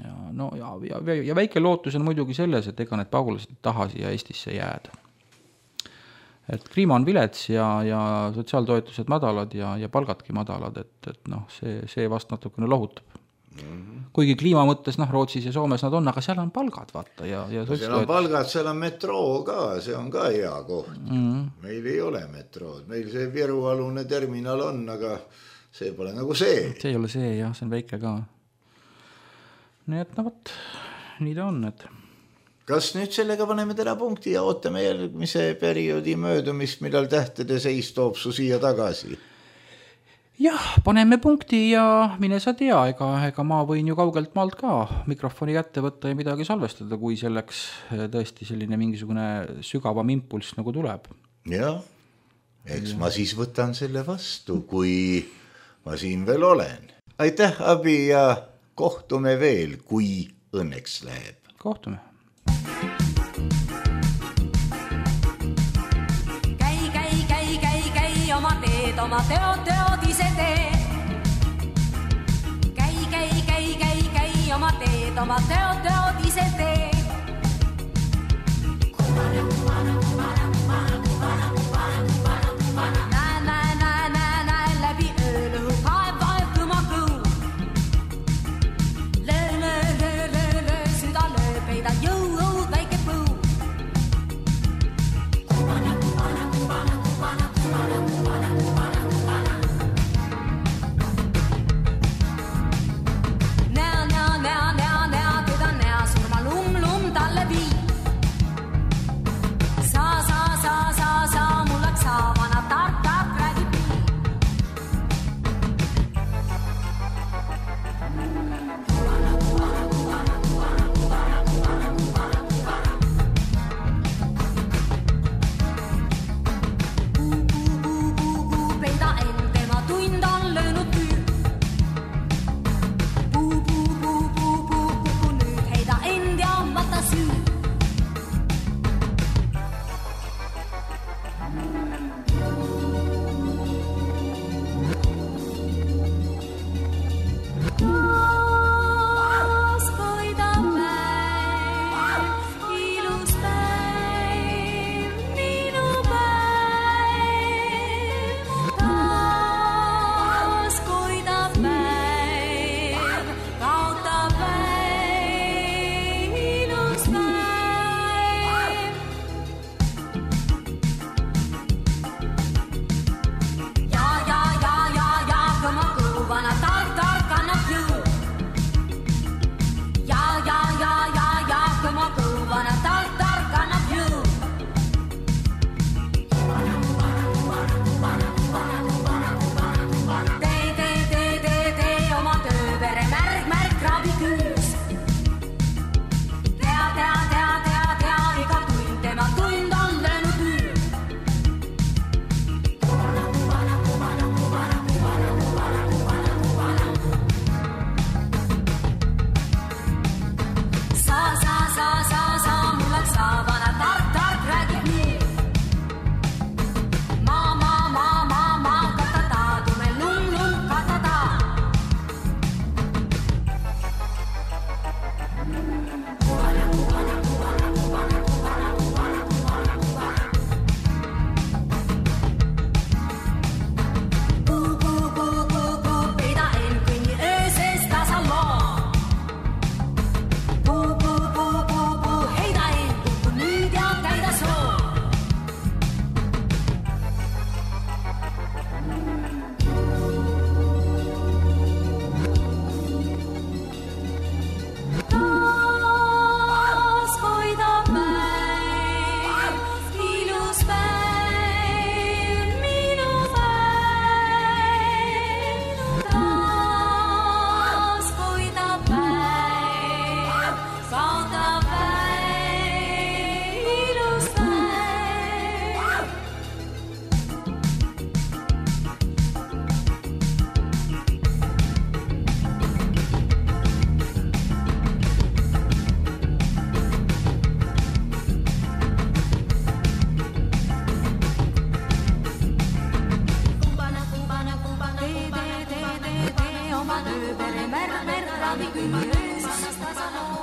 Ja, no, ja, ja, ja väike lootus on muidugi selles, et ega need pagulased taha siia Eestisse jääda. Et kliima on vilets ja, ja sotsiaaltoetused madalad ja, ja palgadki madalad, et, et noh, see, see vast natukene lohutab. Mm-hmm. Kuigi kliima mõttes, noh, Rootsis ja Soomes nad on, aga seal on palgad, vaata. Ja, ja no, seal on palgad, seal on metroo ka, see on ka hea koht. Mm-hmm. Meil ei ole metrood, meil see Virualune terminal on, aga see pole nagu see. See ei ole see, jah, see on väike ka. Nii et, no võt, nii ta on, et... Kas nüüd sellega paneme täna punkti ja ootame järgmise perioodi möödumist, millal tähtede seis toob su siia tagasi? Jah, paneme punkti ja mine sa tea, ega, ega ma võin ju kaugelt maalt ka mikrofoni kätte võtta ja midagi salvestada, kui selleks tõesti selline mingisugune sügavam impulss nagu tuleb. Jah, eks ja. Ma siis võtan selle vastu, kui ma siin veel olen. Aitäh, Abi, ja kohtume veel, kui õnneks läheb. Kohtume. Käi, käi, käi, käi, käi, oma teed, oma teod, teod ise tee. Käi, käi, käi, käi, käi, oma teed, oma teod, teod ise tee. Kumana, kumana, kumana, kumana, kumana, kumana, kumana, kumana. Näe, näe, näe, näe, näe, läbi öölu, kaeb, vaeb, kõma kõu. Löö, löö, löö, löö, löö, süda löö, peida jõu, õud, väike põu. Kumana, kumana, kumana, kumana, kumana, kumana, kumana, kumana. Näo, näo, näo, näo, näo, teda näo, surma lum, lum talle vii. Saa, saa,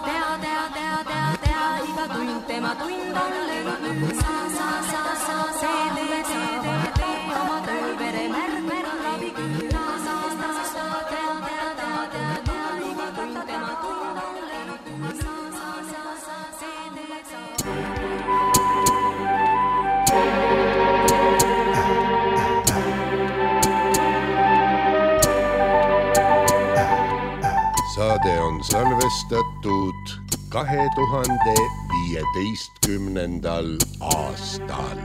tea, tea, tea, tea, tea, iga tund tema tund on lennud. Sa, sa, sa, sa, see tee, tee, tee, tee, oma töö vere märg, märg, rabi küll. Sa, sa, sa, sa, tea, tea, tea, tea, tea, iga tund tema tund on lennud. Sa, sa, sa, sa, see tee, sa. Saade on salvestatud kahe tuhande viieteistkümnendal aastal.